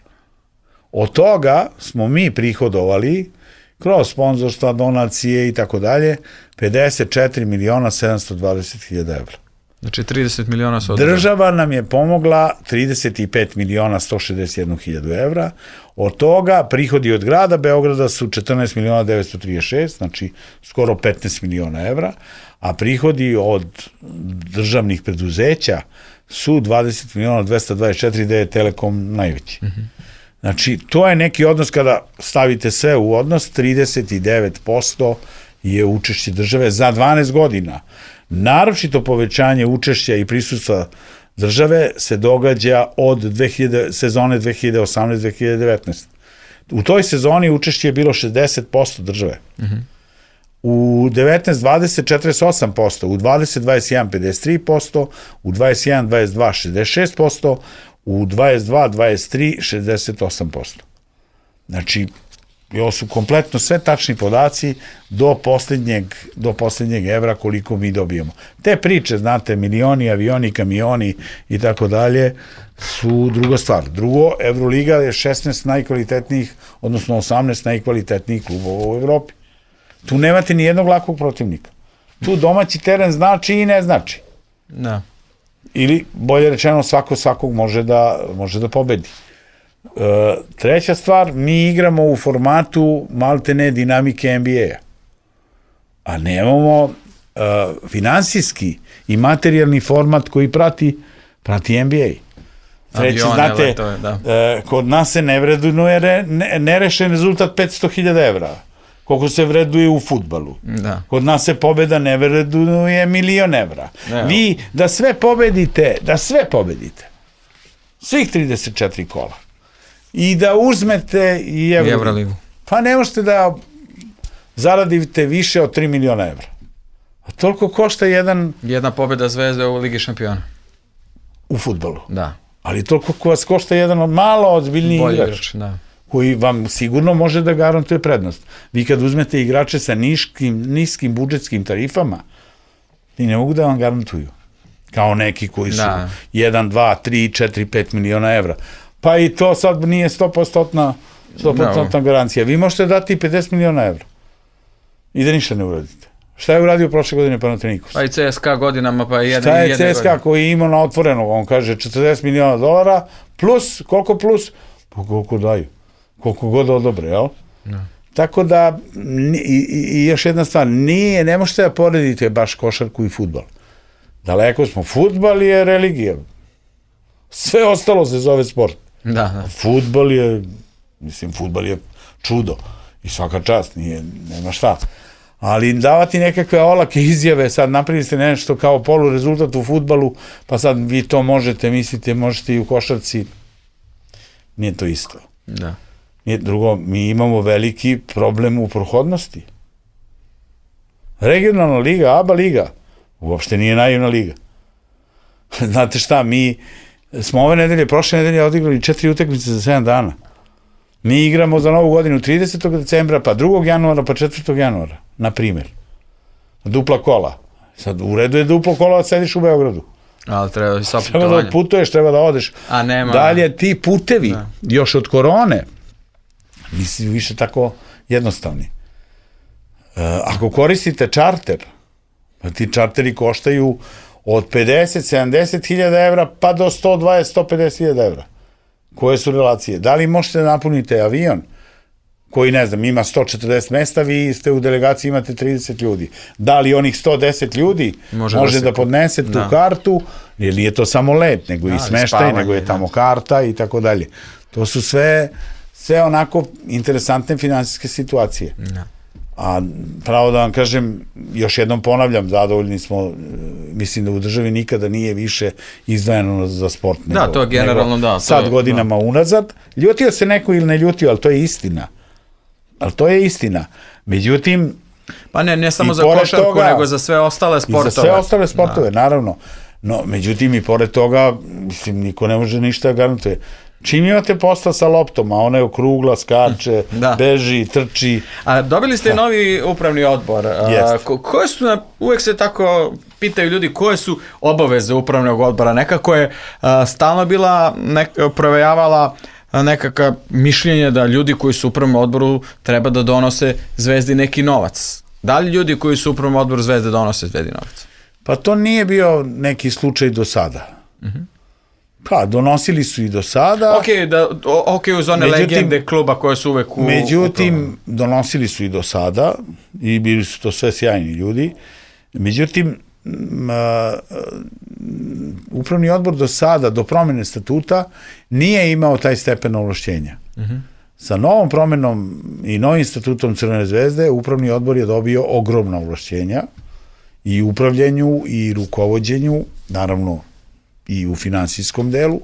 Od toga smo mi prihodovali kroz sponzorstva, donacije i tako dalje pedeset četiri miliona sedamsto dvadeset hiljada evra. Znači trideset miliona su održali. Država nam je pomogla trideset pet miliona sto šezdeset jednu hiljadu evra. Od toga prihodi od grada Beograda su četrnaest miliona devetsto trideset šest, znači skoro petnaest miliona evra, a prihodi od državnih preduzeća su dvadeset miliona dvesta dvadeset četiri, gde je Telekom najveći. Mm-hmm. Znači, to je neki odnos kada stavite sve u odnos, trideset devet posto je učešće države za dvanaest godina. Naročito povećanje učešća i prisustva države se događa od dve hiljade, sezone dve hiljade osamnaeste dve hiljade devetnaeste. U toj sezoni učešće je bilo šezdeset posto države. Mm-hmm. U devetnaest dvadeset četrdeset osam posto, u dvadeset dvadeset jedan pedeset tri posto, u dvadeset jedan dvadeset dva šezdeset šest posto, u dvadeset dva dvadeset tri šezdeset osam posto. Znači, ovo su kompletno sve tačni podaci do posljednjeg, do posljednjeg evra koliko mi dobijemo. Te priče, znate, milioni, avioni, kamioni i tako dalje, su druga stvar. Drugo, Euroliga je šesnaest najkvalitetnijih, odnosno osamnaest najkvalitetnijih klubova u Evropi. Tu nemate ni jednog lakog protivnika. Tu domaći teren znači i ne znači. Da. Ili, bolje rečeno, svako svakog može da, može da pobedi. E, treća stvar, mi igramo u formatu maltene dinamike N B A-a. A nemamo e, finansijski i materijalni format koji prati, prati N B A. Treće, znate, letove, da. e, kod nas se ne vrednuje ne, nerešen rezultat petsto hiljada evra. Koliko se vreduje u fudbalu. Da. Kod nas se pobeda ne vreduje milion evra. Ne, vi da sve pobedite, da sve pobedite, svih trideset četiri kola, i da uzmete i Euroligu, Euroligu. Pa ne možete da zaradite više od tri miliona evra. A toliko košta jedan... Jedna pobeda Zvezde u Ligi šampiona. U fudbalu. Da. Ali toliko vas košta jedan od malo ozbiljniji igrač. igrač da. Koji vam sigurno može da garantuje prednost. Vi kad uzmete igrače sa niškim, niskim budžetskim tarifama, ti ne mogu da vam garantuju. Kao neki koji su da. jedan, dva, tri, četiri, pet miliona evra. Pa i to sad nije sto posto garancija. Vi možete dati pedeset miliona evra i da ništa ne uradite. Šta je uradio prošle godine Panathinaikos? Pa i C S K A godinama, pa jedan Šta i je C S K A koji je imao na otvorenog? On kaže četrdeset miliona dolara, plus, koliko plus? Pa koliko daju? Koliko god odobre, jel? No. Tako da, i, i još jedna stvar, nije, ne možete da poredite baš košarku i fudbal. Daleko smo, fudbal je religija. Sve ostalo se zove sport. Da, da. Fudbal je, mislim, fudbal je čudo. I svaka čast, nije, nema šta. Ali davati nekakve olake izjave, sad napravili ste nešto kao polu rezultat u fudbalu, pa sad vi to možete, mislite, možete i u košarci. Nije to isto. Da. Nije drugo, mi imamo veliki problem u prohodnosti. Regionalna liga, A B A liga, uopšte nije naivna liga. Znate šta, mi smo ove nedelje, prošle nedelje odigrali četiri utakmice za sedam dana. Mi igramo za novu godinu tridesetog decembra, pa drugog januara, pa četvrtog januara, na primjer. Dupla kola. Sad, u redu je duplo kola, da sediš u Beogradu. Ali treba i sva putovanja. Treba da putuješ, treba da odeš. A nema. Dalje, ti putevi, da. Još od korone, nisi više tako jednostavni. E, ako koristite čarter, pa ti čarteri koštaju od pedeset do sedamdeset hiljada evra, pa do sto dvadeset do sto pedeset hiljada evra. Koje su relacije? Da li možete da napunite avion koji, ne znam, ima sto četrdeset mesta, vi ste u delegaciji, imate trideset ljudi. Da li onih sto deset ljudi može, može da, da podnese tu da. kartu, jer nije to samo let, nego da, i smeštaj, nego je tamo karta i tako dalje. To su sve, sve onako interesantne finansijske situacije. Da. A pravo da vam kažem, još jednom ponavljam, zadovoljni smo, mislim da u državi nikada nije više izdvajano za sport. Da, nego, to je generalno da. Sad to, godinama da. unazad. Ljutio se neko ili ne ljutio, ali to je istina. Ali to je istina. Međutim, pa ne, ne samo za košarku, toga, nego za sve ostale sportove. I za sve ostale sportove, da. naravno. No, međutim, i pored toga, mislim, niko ne može ništa garantuje. Čim imate posla sa loptom, a ona je okrugla, skače, da. beži, trči. A dobili ste da. novi upravni odbor. A, ko, koje su, uvek se tako pitaju ljudi, koje su obaveze upravnog odbora? Nekako je a, stalno bila, nek, provejavala nekakva mišljenje da ljudi koji su u upravnom odboru treba da donose Zvezdi neki novac. Da li ljudi koji su u upravnom odboru Zvezde donose Zvezdi novac? Pa to nije bio neki slučaj do sada. Mhm. Uh-huh. Pa, donosili su i do sada. Ok, da, ok, uz one međutim, legende kluba koje su uvek u... Međutim, upravnom. donosili su i do sada i bili su to sve sjajni ljudi. Međutim, m, a, upravni odbor do sada, do promjene statuta, nije imao taj stepen ovlašćenja. Uh-huh. Sa novom promjenom i novim statutom Crvene zvezde, upravni odbor je dobio ogromna ovlašćenja i upravljanju i rukovođenju, naravno i u finansijskom delu,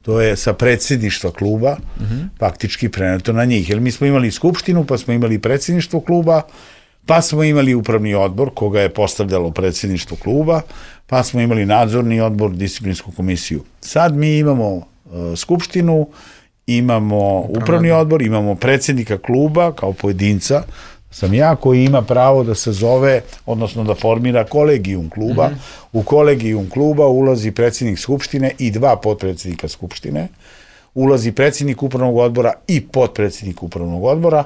to je sa predsjedništva kluba, uh-huh. faktički preneto na njih. Jer mi smo imali skupštinu, pa smo imali predsjedništvo kluba, pa smo imali upravni odbor, koga je postavljalo predsjedništvo kluba, pa smo imali nadzorni odbor, disciplinsku komisiju. Sad mi imamo uh, skupštinu, imamo upravni odbor, imamo predsjednika kluba kao pojedinca, sam ja koji ima pravo da se zove, odnosno da formira kolegijum kluba. Mm-hmm. U kolegijum kluba ulazi predsjednik skupštine i dva potpredsjednika skupštine, ulazi predsjednik upravnog odbora i potpredsjednik upravnog odbora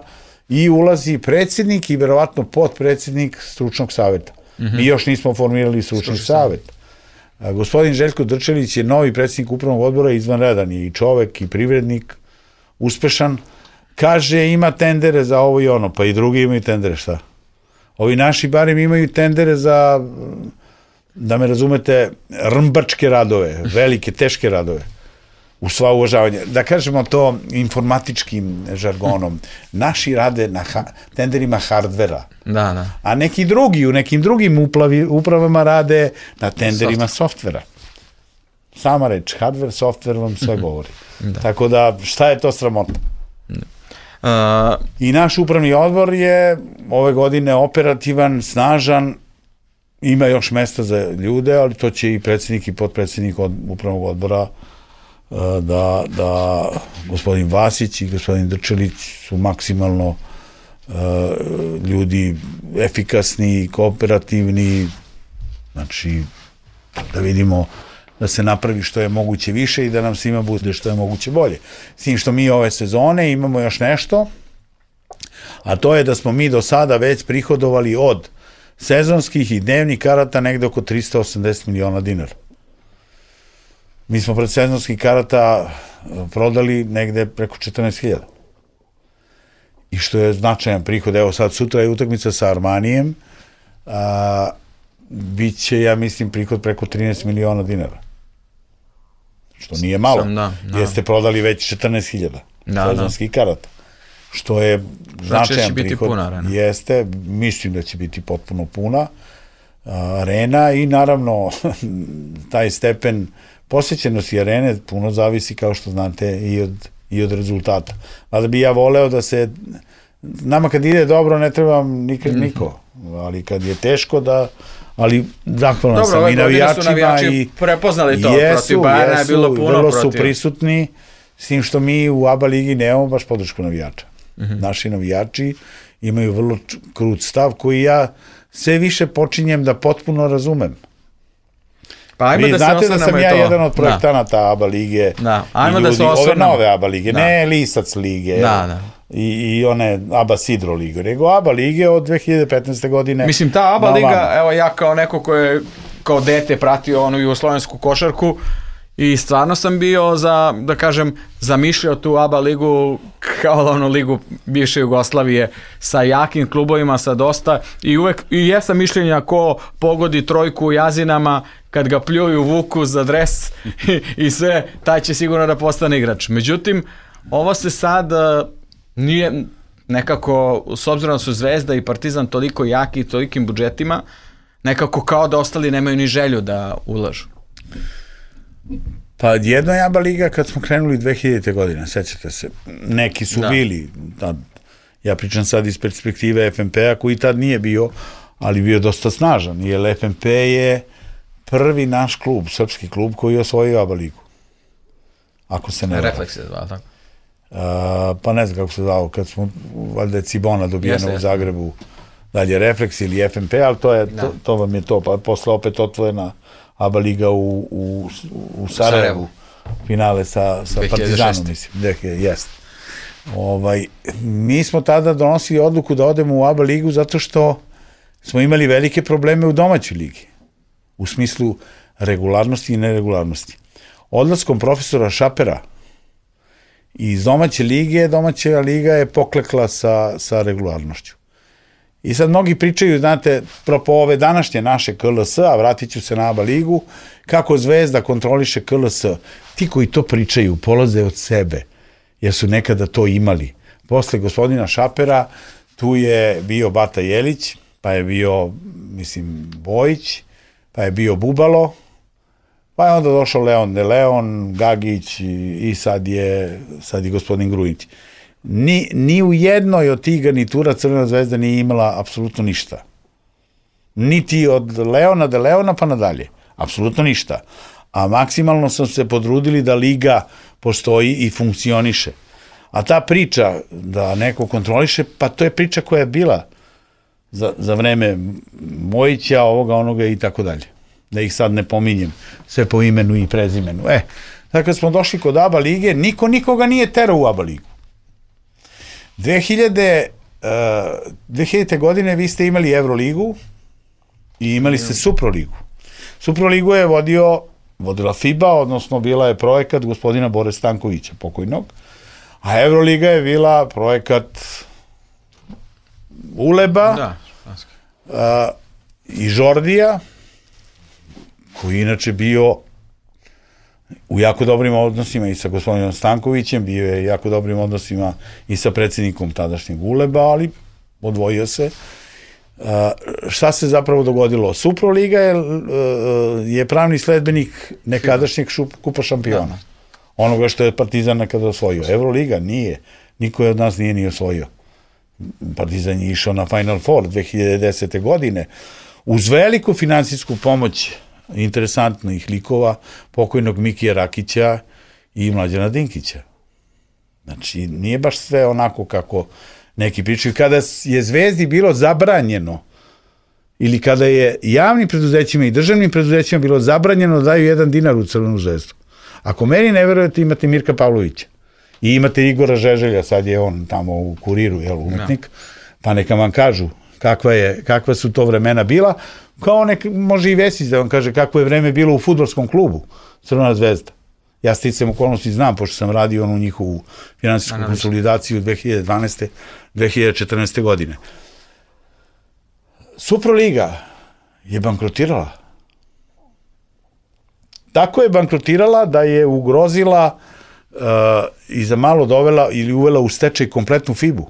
i ulazi predsjednik i verovatno potpredsjednik stručnog savjeta. Mm-hmm. Mi još nismo formirali stručni, stručni savjet. A, gospodin Željko Drčelić je novi predsjednik upravnog odbora, izvanredan je i čovek i privrednik, uspešan. Kaže, ima tendere za ovo i ono, pa i drugi imaju tendere, šta? Ovi naši barem imaju tendere za, da me razumete, rmbačke radove, velike, teške radove, u sva uvažavanje. Da kažemo to informatičkim žargonom, naši rade na ha, tenderima hardvera, da, da. A neki drugi, u nekim drugim uplavi, upravama rade na tenderima softvera. Sama reč, hardware, software vam sve govori. Da. Tako da, šta je to sramota? Uh, I naš upravni odbor je ove godine operativan, snažan, ima još mesta za ljude, ali to će i predsjednik i potpredsjednik od, upravnog odbora uh, da, da gospodin Vasić i gospodin Drčelić su maksimalno uh, ljudi efikasni, kooperativni, znači da vidimo da se napravi što je moguće više i da nam svima bude što je moguće bolje. S tim što mi ove sezone imamo još nešto, a to je da smo mi do sada već prihodovali od sezonskih i dnevnih karata negde oko tristo osamdeset miliona dinara. Mi smo pred sezonskih karata prodali negde preko četrnaest hiljada. I što je značajan prihod, evo sad sutra je utakmica sa Armanijem, a, bit će, ja mislim, prihod preko trinaest miliona dinara. Što nije malo, Sam, da, da. Jer ste prodali već četrnaest hiljada da, sezonskih da. karata. Što je značajan biti prihod. Puna arena. Jeste, mislim da će biti potpuno puna arena i naravno taj stepen posjećenosti arene puno zavisi, kao što znate, i od, i od rezultata. Mada bi ja voleo da se, nama kad ide dobro ne trebam nikad mm-hmm. niko, ali kad je teško da, ali zahvalan dobro, sam i navijačima navijači i prepoznali to, jesu, protiv Bajana je bilo puno vrlo protiv. su prisutni, s tim što mi u ABA ligi nemamo baš podršku navijača. Mm-hmm. Naši navijači imaju vrlo krut stav koji ja sve više počinjem da potpuno razumem. Pa ajmo Vi da znate se da sam ja to. jedan od projektanata da. ABA lige. Da. Ajmo i da ljudi, se ove osvrnemo. nove ABA lige, da. ne Lisac lige da, da. I, i one ABA Sidro lige, nego ABA lige od dve hiljade petnaeste godine. Mislim, ta ABA na liga, vama. evo ja kao neko ko je kao dete pratio onu jugoslovensku košarku i stvarno sam bio za, da kažem, zamišljao tu ABA ligu kao onu ligu bivše Jugoslavije sa jakim klubovima, sa dosta i uvek, i jesam mišljenja ko pogodi trojku u Jazinama kad ga pljuju vuku za dres i, i sve, taj će sigurno da postane igrač. Međutim, ovo se sad uh, nije nekako, s obzirom da su Zvezda i Partizan toliko jaki i tolikim budžetima, nekako kao da ostali nemaju ni želju da ulažu. Pa jedno je ABA liga kad smo krenuli dve hiljadite godine, sećate se, neki su da. bili, tad, ja pričam sad iz perspektive F N P-a koji tad nije bio, ali bio dosta snažan, jer F N P je prvi naš klub, srpski klub koji je osvojio ABA ligu. Ako se ne... Refleks je zvao, tako? Uh, pa ne znam kako se zvao, kad smo, valjda je Cibona dobijena u Zagrebu, dalje Refleks ili F N P, ali to, je, to, to vam je to, pa posle opet otvorena ABA liga u, u, u Sarajevu, Sarajevu. Finale sa, sa Partizanom, mislim, jest. Ovaj, mi smo tada donosili odluku da odemo u ABA ligu zato što smo imali velike probleme u domaćoj ligi, u smislu regularnosti i neregularnosti. Odlaskom profesora Šapera iz domaće lige, domaća liga je poklekla sa, sa regularnošću. I sad mnogi pričaju, znate, propo ove današnje naše K L S, a vratit ću se na ABA ligu, kako Zvezda kontroliše K L S. Ti koji to pričaju, polaze od sebe, jer su nekada to imali. Posle gospodina Šapera, tu je bio Bata Jelić, pa je bio, mislim, Bojić, pa je bio Bubalo, pa je onda došao Leon de Leon, Gagić i, i sad je, sad je gospodin Grujić. Ni, ni u jednoj od tih garnitura Crvena zvezda nije imala apsolutno ništa. Niti od Leona de Leona pa nadalje. Apsolutno ništa. A maksimalno smo se podrudili da liga postoji i funkcioniše. A ta priča da neko kontroliše, pa to je priča koja je bila za, za vreme Mojića, ovoga, onoga i tako dalje. Da ih sad ne pominjem, sve po imenu i prezimenu. E, tako kad smo došli kod ABA lige, niko nikoga nije terao u ABA ligu. dve hiljade, uh, dve hiljadite godine vi ste imali Euroligu i imali ste Suproligu. Suproligu je vodio, vodila FIBA, odnosno bila je projekat gospodina Bore Stankovića, pokojnog, a Euroliga je bila projekat Uleba da, uh, i Žordija, koji inače bio u jako dobrim odnosima i sa gospodinom Stankovićem, bio je jako dobrim odnosima i sa predsjednikom tadašnjeg Uleba, ali odvojio se. Uh, šta se zapravo dogodilo? Suproliga je, uh, je pravni sledbenik nekadašnjeg šup, kupa šampiona. Da. Onoga što je Partizan nekada osvojio. Euroliga nije. Niko je od nas nije ni osvojio. Partizan je išao na Final Four dve hiljade desete. godine uz veliku finansijsku pomoć interesantnih likova, pokojnog Mikija Rakića i Mlađana Dinkića. Znači, nije baš sve onako kako neki pričaju. Kada je Zvezdi bilo zabranjeno ili kada je javnim preduzećima i državnim preduzećima bilo zabranjeno da daju jedan dinar u Crvenu zvezdu. Ako meni ne verujete, imate Mirka Pavlovića i imate Igora Žeželja, sad je on tamo u Kuriru, jel, umetnik, pa neka vam kažu kakva, je, kakva su to vremena bila, kao nek, može i Vesić da vam kaže kako je vreme bilo u fudbalskom klubu Crvena zvezda. Ja sticam okolnosti znam, pošto sam radio onu njihovu finansijsku konsolidaciju dve hiljade dvanaeste dve hiljade četrnaeste godine. Superliga je bankrotirala. Tako je bankrotirala da je ugrozila uh, i za malo dovela ili uvela u stečaj kompletnu F I B-u.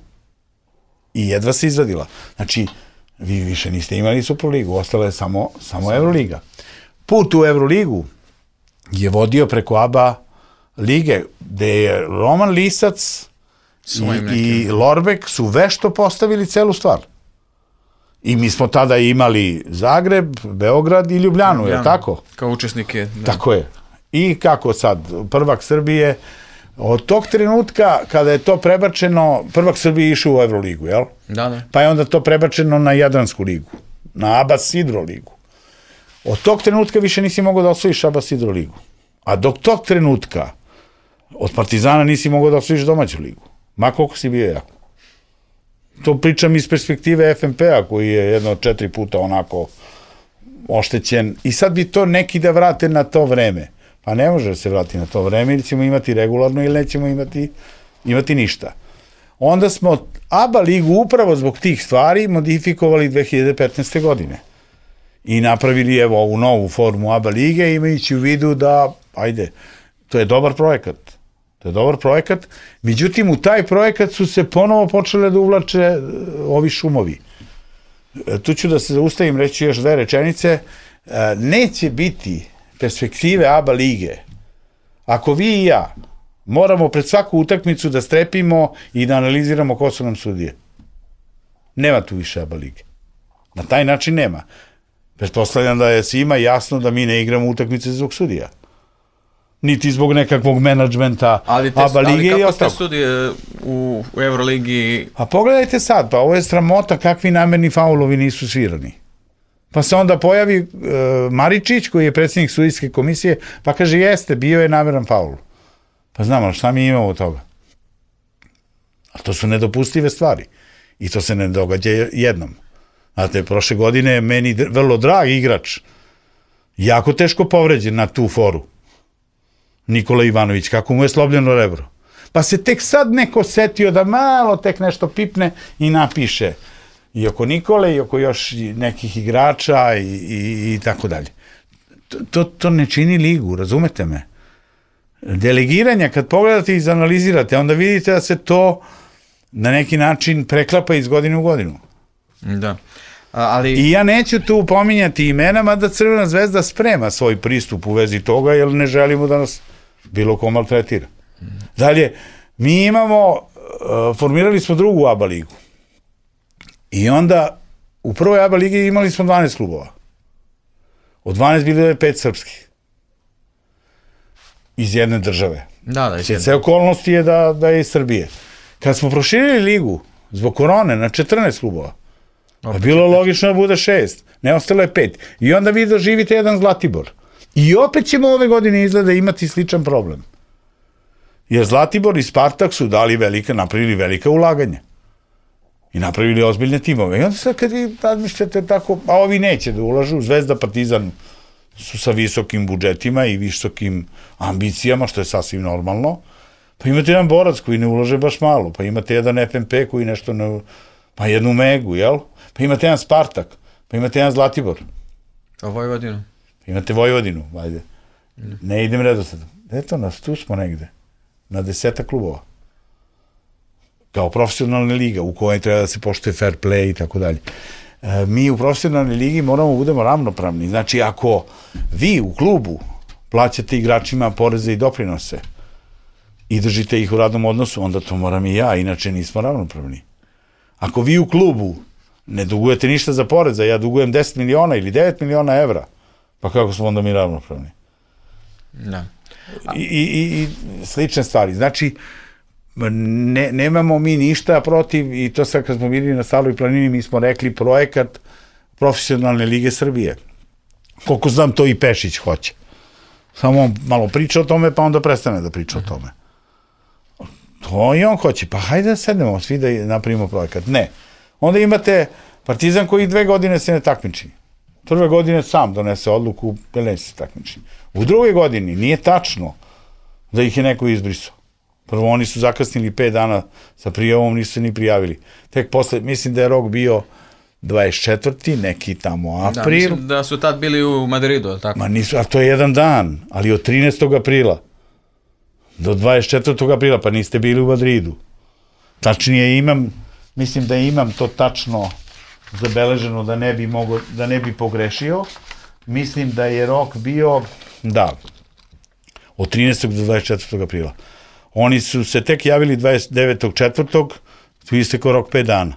I jedva se izvadila. Znači, vi više niste imali Superligu, ostala je samo, samo Euroliga. Put u Euroligu je vodio preko A B A lige, gde je Roman Lisac i, i Lorbek su vešto postavili celu stvar. I mi smo tada imali Zagreb, Beograd i Ljubljanu, Ljubljanu. Je tako? Kao učesnike. Da. Tako je. I kako sad, prvak Srbije, od tog trenutka kada je to prebačeno, prvak Srbije išao u Euroligu, jel? Da, da. Pa je onda to prebačeno na Jadransku ligu, na Abas Hidro ligu. Od tog trenutka više nisi mogao da osvojiš Abas Hidro ligu. A dok tog trenutka od Partizana nisi mogao da osvojiš domaću ligu. Ma koliko si bio jako. To pričam iz perspektive F N P-a koji je jedno od četiri puta onako oštećen. I sad bi to neki da vrate na to vreme. Pa ne može da se vrati na to vreme ili ćemo imati regularno ili nećemo imati, imati ništa. Onda smo A B A ligu upravo zbog tih stvari modifikovali dve hiljade petnaeste. godine. I napravili evo ovu novu formu A B A lige imajući u vidu da, ajde, to je dobar projekat. To je dobar projekat. Međutim, u taj projekat su se ponovo počele da uvlače ovi šumovi. Tu ću da se zaustavim, reći još dve rečenice. Neće biti perspektive A B A lige ako vi i ja moramo pred svaku utakmicu da strepimo i da analiziramo ko su nam sudije. Nema tu više A B A lige. Na taj način nema. Pretpostavljam da je svima jasno da mi ne igramo utakmice zbog sudija. Niti zbog nekakvog menadžmenta A B A lige i ostalo. Ali kako te sudije u, u Euroligi? A pogledajte sad, pa ovo je sramota kakvi namerni faulovi nisu svirani. Pa se onda pojavi uh, Maričić, koji je predsjednik sudijske komisije, pa kaže, jeste, bio je nameran faul. Pa znam, ali šta mi imamo od toga? A to su nedopustive stvari. I to se ne događa jednom. Znate, prošle godine je meni vrlo drag igrač, jako teško povređen na tu foru. Nikola Ivanović, kako mu je slobljeno rebro. Pa se tek sad neko setio da malo tek nešto pipne i napiše i oko Nikole i oko još nekih igrača i, i, i tako dalje. To, to ne čini ligu, razumete me? Delegiranja, kad pogledate i izanalizirate, onda vidite da se to na neki način preklapa iz godine u godinu. Da. Ali... I ja neću tu pominjati imena, mada Crvena zvezda sprema svoj pristup u vezi toga, jer ne želimo da nas bilo ko maltretira. Dalje, mi imamo, uh, formirali smo drugu A B A ligu. I onda u prvoj A B A ligi imali smo dvanaest klubova. Od dvanaest bilo je pet srpskih. Iz jedne države. Da, da, iz jedne. Sve okolnosti je da, da je iz Srbije. Kad smo proširili ligu zbog korone na četrnaest klubova, pa bilo logično da bude šest, ne ostalo je pet. I onda vi doživite jedan Zlatibor. I opet ćemo ove godine izgleda imati sličan problem. Jer Zlatibor i Spartak su dali velika, napravili velika ulaganja. I napravili ozbiljne timove. I onda sad kad vi razmišljate tako, a ovi neće da ulažu, Zvezda, Partizan su sa visokim budžetima i visokim ambicijama, što je sasvim normalno. Pa imate jedan Borac koji ne ulaže baš malo, pa imate jedan F N P koji nešto ne... Pa jednu Megu, jel? Pa imate jedan Spartak, pa imate jedan Zlatibor. A Vojvodinu? Pa imate Vojvodinu, ajde. Ne idem redosledom. Eto nas, tu smo negde. Na deseta klubova. Kao profesionalna liga u kojoj treba da se poštuje fair play i tako dalje. Mi u profesionalnoj ligi moramo da budemo ravnopravni. Znači, ako vi u klubu plaćate igračima poreze i doprinose i držite ih u radnom odnosu, onda to moram i ja, inače nismo ravnopravni. Ako vi u klubu ne dugujete ništa za poreza, ja dugujem deset miliona ili devet miliona evra, pa kako smo onda mi ravnopravni? Da. I, i, i slične stvari. Znači, ne, nemamo mi ništa protiv, i to sad kad smo bili na Staroj planini, mi smo rekli projekat profesionalne lige Srbije. Koliko znam, to i Pešić hoće. Samo on malo priča o tome, pa onda prestane da priča o tome. To i on hoće. Pa hajde da sednemo svi da napravimo projekat. Ne. Onda imate Partizan koji dve godine se ne takmiči. Prve godine sam donese odluku da neće se takmiči. U drugoj godini nije tačno da ih je neko izbrisao. Prvo, oni su zakasnili pet dana sa prijavom, nisu se ni prijavili. Tek posle, mislim da je rok bio dvadeset četvrti neki tamo april. Da, mislim da su tad bili u Madridu, ali tako? Ma nisu, a to je jedan dan, ali od trinaestog aprila do dvadeset četvrtog aprila, pa niste bili u Madridu. Tačnije imam, mislim da imam to tačno zabeleženo da ne bi mogo, da ne bi pogrešio. Mislim da je rok bio, da, od trinaestog do dvadeset četvrtog aprila. Oni su se tek javili dvadeset devetog četvrtog tu istekao rok pet dana.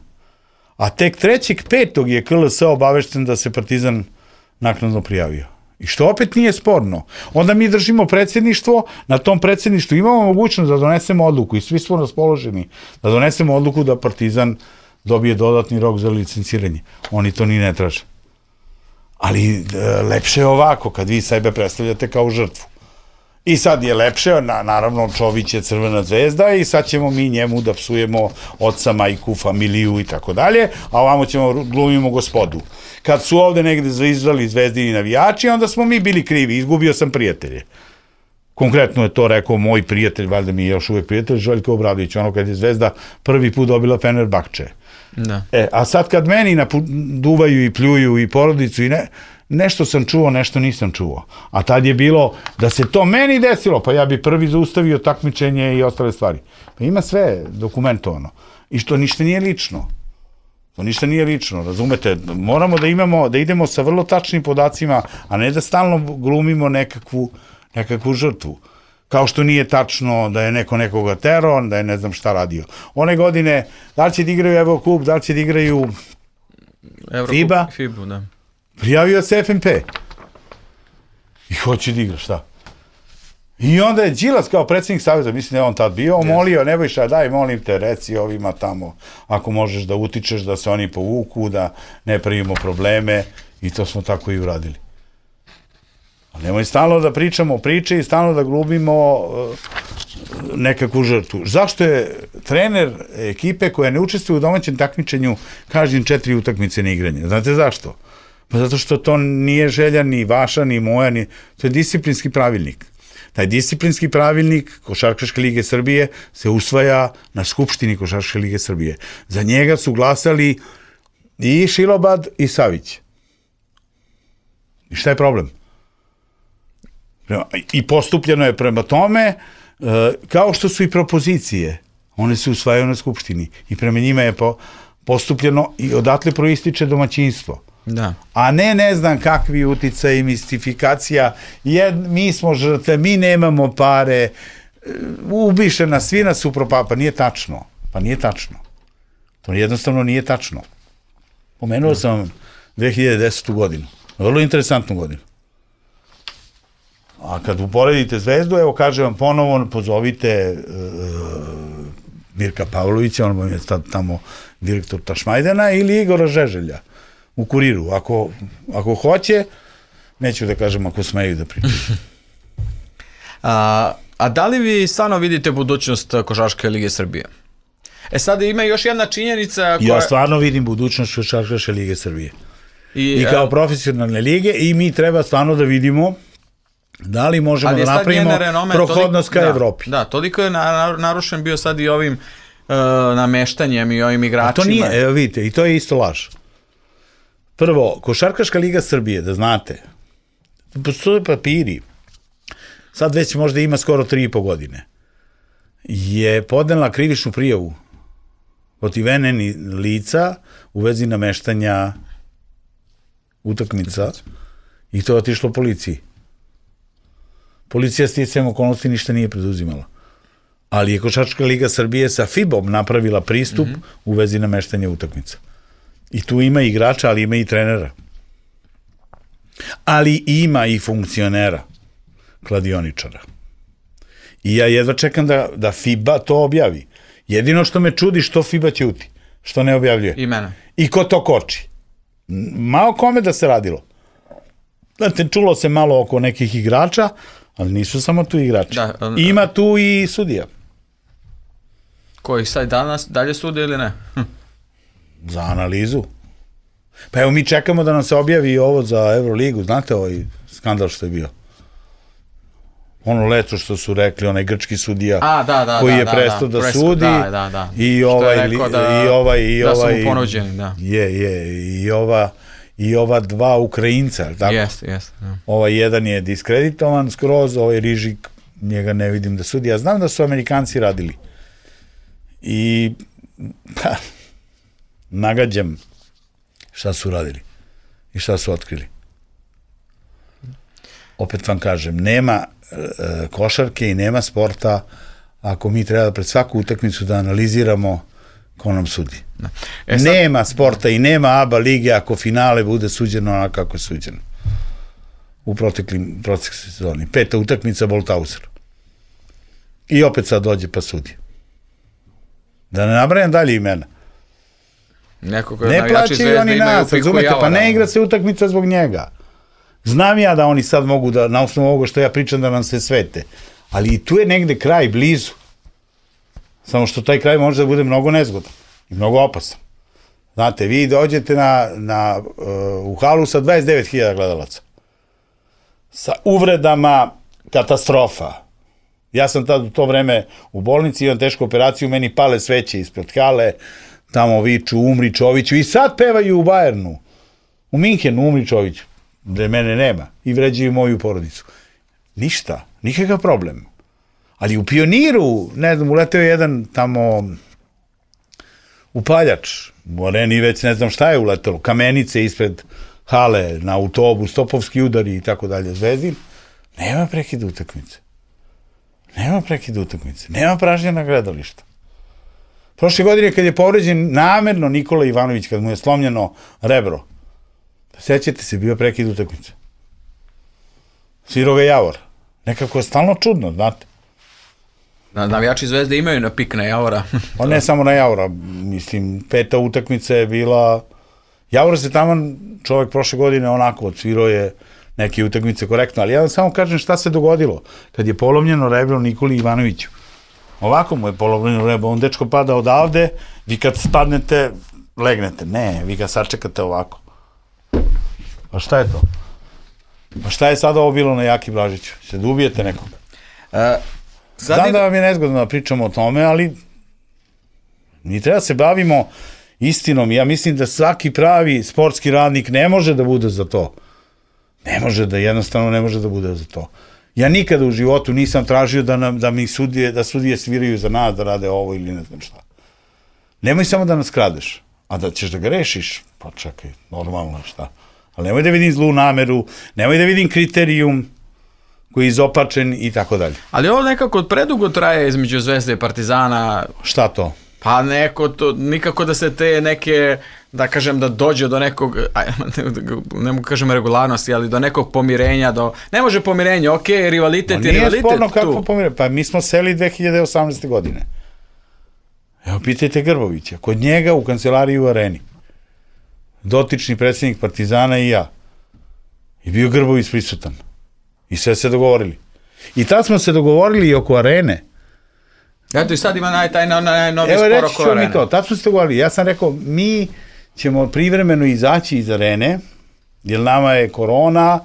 A tek trećeg petog je K L S obavešten da se Partizan naknadno prijavio. I što opet nije sporno. Onda mi držimo predsjedništvo, na tom predsjedništvu imamo mogućnost da donesemo odluku i svi smo raspoloženi da donesemo odluku da Partizan dobije dodatni rok za licenciranje. Oni to ni ne traže. Ali lepše je ovako, kad vi sebe predstavljate kao žrtvu. I sad je lepše, na, naravno Čović je Crvena zvezda i sad ćemo mi njemu da psujemo oca, majku, familiju i tako dalje, a ovamo ćemo glumimo gospodu. Kad su ovde negde zvizdali zvezdini navijači, onda smo mi bili krivi, izgubio sam prijatelje. Konkretno je to rekao moj prijatelj, valjda mi je još uvek prijatelj, Željko Obradović, ono kad je Zvezda prvi put dobila Fenerbahče. Da. E, a sad kad meni duvaju i pljuju i porodicu i ne, nešto sam čuo, nešto nisam čuo. A tad je bilo da se to meni desilo, pa ja bi prvi zaustavio takmičenje i ostale stvari. Pa ima sve dokumentovano. I što ništa nije lično. To ništa nije lično, razumete? Moramo da imamo, da idemo sa vrlo tačnim podacima, a ne da stalno glumimo nekakvu, nekakvu žrtvu. Kao što nije tačno da je neko nekoga terao, da je ne znam šta radio. One godine, da li će da igraju Evrokup, da li će da igraju FIBA, FIBA, da. Prijavio se F N P. I hoće da igra, šta? I onda je Đilas kao predsjednik saveza, mislim da je on tad bio, molio, Nebojša, daj, molim te, reci ovima tamo, ako možeš da utičeš, da se oni povuku, da ne pravimo probleme, i to smo tako i uradili. Ali nemoj stalno da pričamo priče i stalno da glumimo uh, nekakvu žrtvu. Zašto je trener ekipe koja ne učestvuje u domaćem takmičenju kažnjen četiri utakmice na igranje? Znate zašto? Pa zato što to nije želja ni vaša, ni moja, ni... to je disciplinski pravilnik. Taj disciplinski pravilnik Košarkaške lige Srbije se usvaja na Skupštini Košarkaške lige Srbije. Za njega su glasali i Šilobad i Savić. I šta je problem? I postupljeno je prema tome, kao što su i propozicije, one se usvajaju na Skupštini i prema njima je postupljeno i odatle proističe domaćinstvo. Da. A ne ne znam kakvi uticaj i mistifikacija, jer mi smo žrtve, mi nemamo pare, ubiše nas, svi nas upropava, pa nije tačno, pa nije tačno. To jednostavno nije tačno. Pomenuo sam vam dve hiljade desetu godinu, vrlo interesantnu godinu. A kad uporedite Zvezdu, evo kažem vam ponovo, pozovite uh, Mirka Pavlovića, on vam je tamo direktor Tašmajdana, ili Igora Žeželja u Kuriru. Ako, ako hoće, neću da kažem ako smeju da pričaju. a, a da li vi stvarno vidite budućnost Košarkaške lige Srbije? E sad ima još jedna činjenica koja... Ja stvarno vidim budućnost Košarkaške lige Srbije. I, I kao a... profesionalne lige, i mi treba stvarno da vidimo da li možemo da napravimo prohodnost ka Evropi. Da, toliko je narušen bio sad i ovim uh, nameštanjem i ovim igračima. A to nije, evo vidite, i to je isto laž. Prvo, Košarkaška liga Srbije, da znate, postoje papiri, sad već možda ima skoro tri i po godine, je podnela krivičnu prijavu protiv N N lica u vezi nameštanja utakmica i to je otišlo policiji. Policija sticajem okolnosti ništa nije preduzimala. Ali je Košarkaška liga Srbije sa FIBom napravila pristup mm-hmm. u vezi nameštanja utakmica. I tu ima igrača, ali ima i trenera. Ali ima i funkcionera, kladioničara. I ja jedva čekam da, da FIBA to objavi. Jedino što me čudi što FIBA ćuti, što ne objavljuje. I mene. I ko to koči. Malo kome da se radilo. Znate, čulo se malo oko nekih igrača, ali nisu samo tu igrači. Da, um, ima tu i sudija. Koji sad danas dalje sude ili ne? Hm. Za analizu. Pa evo mi čekamo da nam se objavi ovo za Euroligu, znate ovaj skandal što je bio? Ono leto što su rekli, onaj grčki sudija A, da, da, koji da, je da, prestao da, da, presko, sudi da, da, da. i ovaj, da, i ovaj, i da ovaj, su mu ponuđeni, da. Je, je, i ova, i ova dva Ukrajinca, tako? Jeste, jeste. Ja. Ovaj jedan je diskreditovan skroz, ovaj Rižik, njega ne vidim da sudi. Ja znam da su Amerikanci radili. I, pa, nagađam šta su radili i šta su otkrili. Opet vam kažem, nema e, košarke i nema sporta ako mi treba pred svaku utakmicu da analiziramo ko nam sudi. E sad... Nema sporta i nema ABA lige ako finale bude suđeno onako kako je suđeno. U proteklim, proteklim sezoni. Peta utakmica Boltauser. I opet sad dođe pa sudi. Da ne nabrajam dalje imena. Neko ko je ne plaćaju oni nas, razumete, pa ne igra se utakmica zbog njega. Znam ja da oni sad mogu da, na osnovu ovoga što ja pričam, da nam se svete. Ali i tu je negde kraj, blizu. Samo što taj kraj može da bude mnogo nezgodan i mnogo opasan. Znate, vi dođete na, na, uh, u halu sa dvadeset devet hiljada gledalaca. Sa uvredama, katastrofa. Ja sam tad u to vreme u bolnici, imam tešku operaciju, meni pale sveće ispred hale, tamo viču, umri Čoviću, i sad pevaju u Bajernu, u Minhenu, umri Čoviću, gde mene nema, i vređaju moju porodicu. Ništa, nikakav problem. Ali u Pioniru, ne znam, uleteo je jedan tamo upaljač, u areni već ne znam šta je uletelo, kamenice ispred hale, na autobus, topovski udari i tako dalje, Zvezdin, nema prekida utakmice. Nema prekida utakmice, nema pražnjena gledališta. Prošle godine kad je povređen namerno Nikola Ivanović, kad mu je slomljeno rebro, sećate se, bio prekid utakmice. Svirao ga Javor. Nekako je stalno čudno, znate. Navijači Zvezde imaju na pik na Javora. On ne samo na Javora, mislim, peta utakmica je bila... Javor se tamo, čovjek prošle godine onako odsvirao je neke utakmice korektno, ali ja vam samo kažem šta se dogodilo kad je polomljeno rebro Nikoli Ivanoviću. Ovako mu je polomljeno rebro, on dečko pada odavde, vi kad spadnete, legnete. Ne, vi ga sačekate ovako. Pa šta je to? Pa šta je sada ovo bilo na Jaki Blažiću? Se da ubijete nekoga? E, Znam je... da vam je nezgodno da pričamo o tome, ali mi treba se bavimo istinom. Ja mislim da svaki pravi sportski radnik ne može da bude za to. Ne može da, jednostavno ne može da bude za to. Ja nikada u životu nisam tražio da, nam, da mi sudije, da sudije sviraju za nas, da rade ovo ili ne znam šta. Nemoj samo da nas kradeš, a da ćeš da ga rešiš, pa čekaj, normalno je šta. Ali nemoj da vidim zlu nameru, nemoj da vidim kriterijum koji je izopačen i tako dalje. Ali ovo nekako predugo traje između Zvezde i Partizana. Šta to? Pa neko to, nikako da se te neke, da kažem, da dođe do nekog, ne mogu kažem regularnosti, ali do nekog pomirenja, do, ne može pomirenje, ok, rivalitet je rivalitet tu. Nije sporno kako pomirenje, pa mi smo seli dve hiljade osamnaeste. godine. Evo, pitajte Grbovića, kod njega u kancelariji u Areni, dotični predsjednik Partizana i ja, i bio Grbović prisutan. I sve se dogovorili. I tad smo se dogovorili i oko Arene. Eto i sad ima naj, taj najnovi spor oko Arene. Evo reći ću mi to, tad smo se dogovorili. Ja sam rekao, mi ćemo privremeno izaći iz Arene, jer nama je korona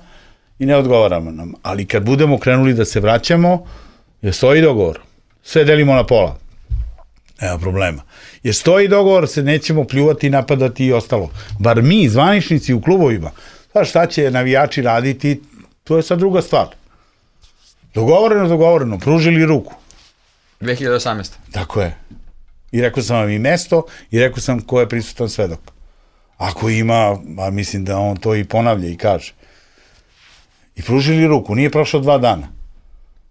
i ne odgovaramo nam. Ali kad budemo krenuli da se vraćamo, jer stoji dogovor. Sve delimo na pola. Nema problema. Jer stoji dogovor, se nećemo pljuvati, napadati i ostalo. Bar mi, zvaničnici u klubovima, pa šta će navijači raditi, to je sad druga stvar. Dogovoreno, dogovoreno, pružili ruku. dve hiljade osamnaeste. Tako je. I rekao sam vam i mesto, i rekao sam ko je prisutan svedok. Ako ima, a mislim da on to i ponavlja i kaže. I pružili ruku, nije prošlo dva dana.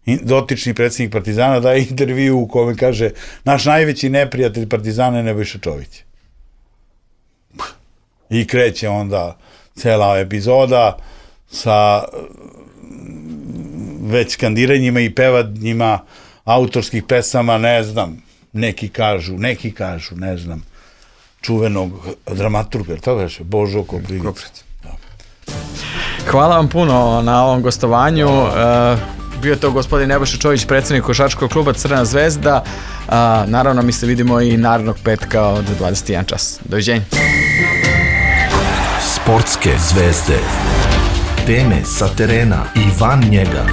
I dotični predsjednik Partizana daje intervju u kome kaže naš najveći neprijatelj Partizana je Nebojša Čović. I kreće onda cela epizoda sa već skandiranjima i pevanjima autorskih pesama, ne znam, neki kažu, neki kažu, ne znam, čuvenog dramaturga, to veše, Božo Koprivic. Hvala vam puno na ovom gostovanju. Uh, bio to gospodin Nebojša Čović, predsjednik košarkaškog kluba Crvena zvezda. Uh, naravno, mi se vidimo i narednog petka od dvadeset jedan čas. Doviđenja. Sportske zvezde. Teme sa terena i van njega.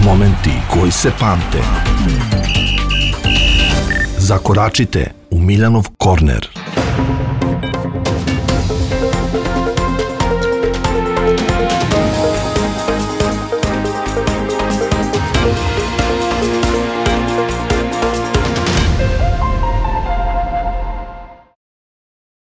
Momenti koji se pamte. Zakoračite u Miljanov korner.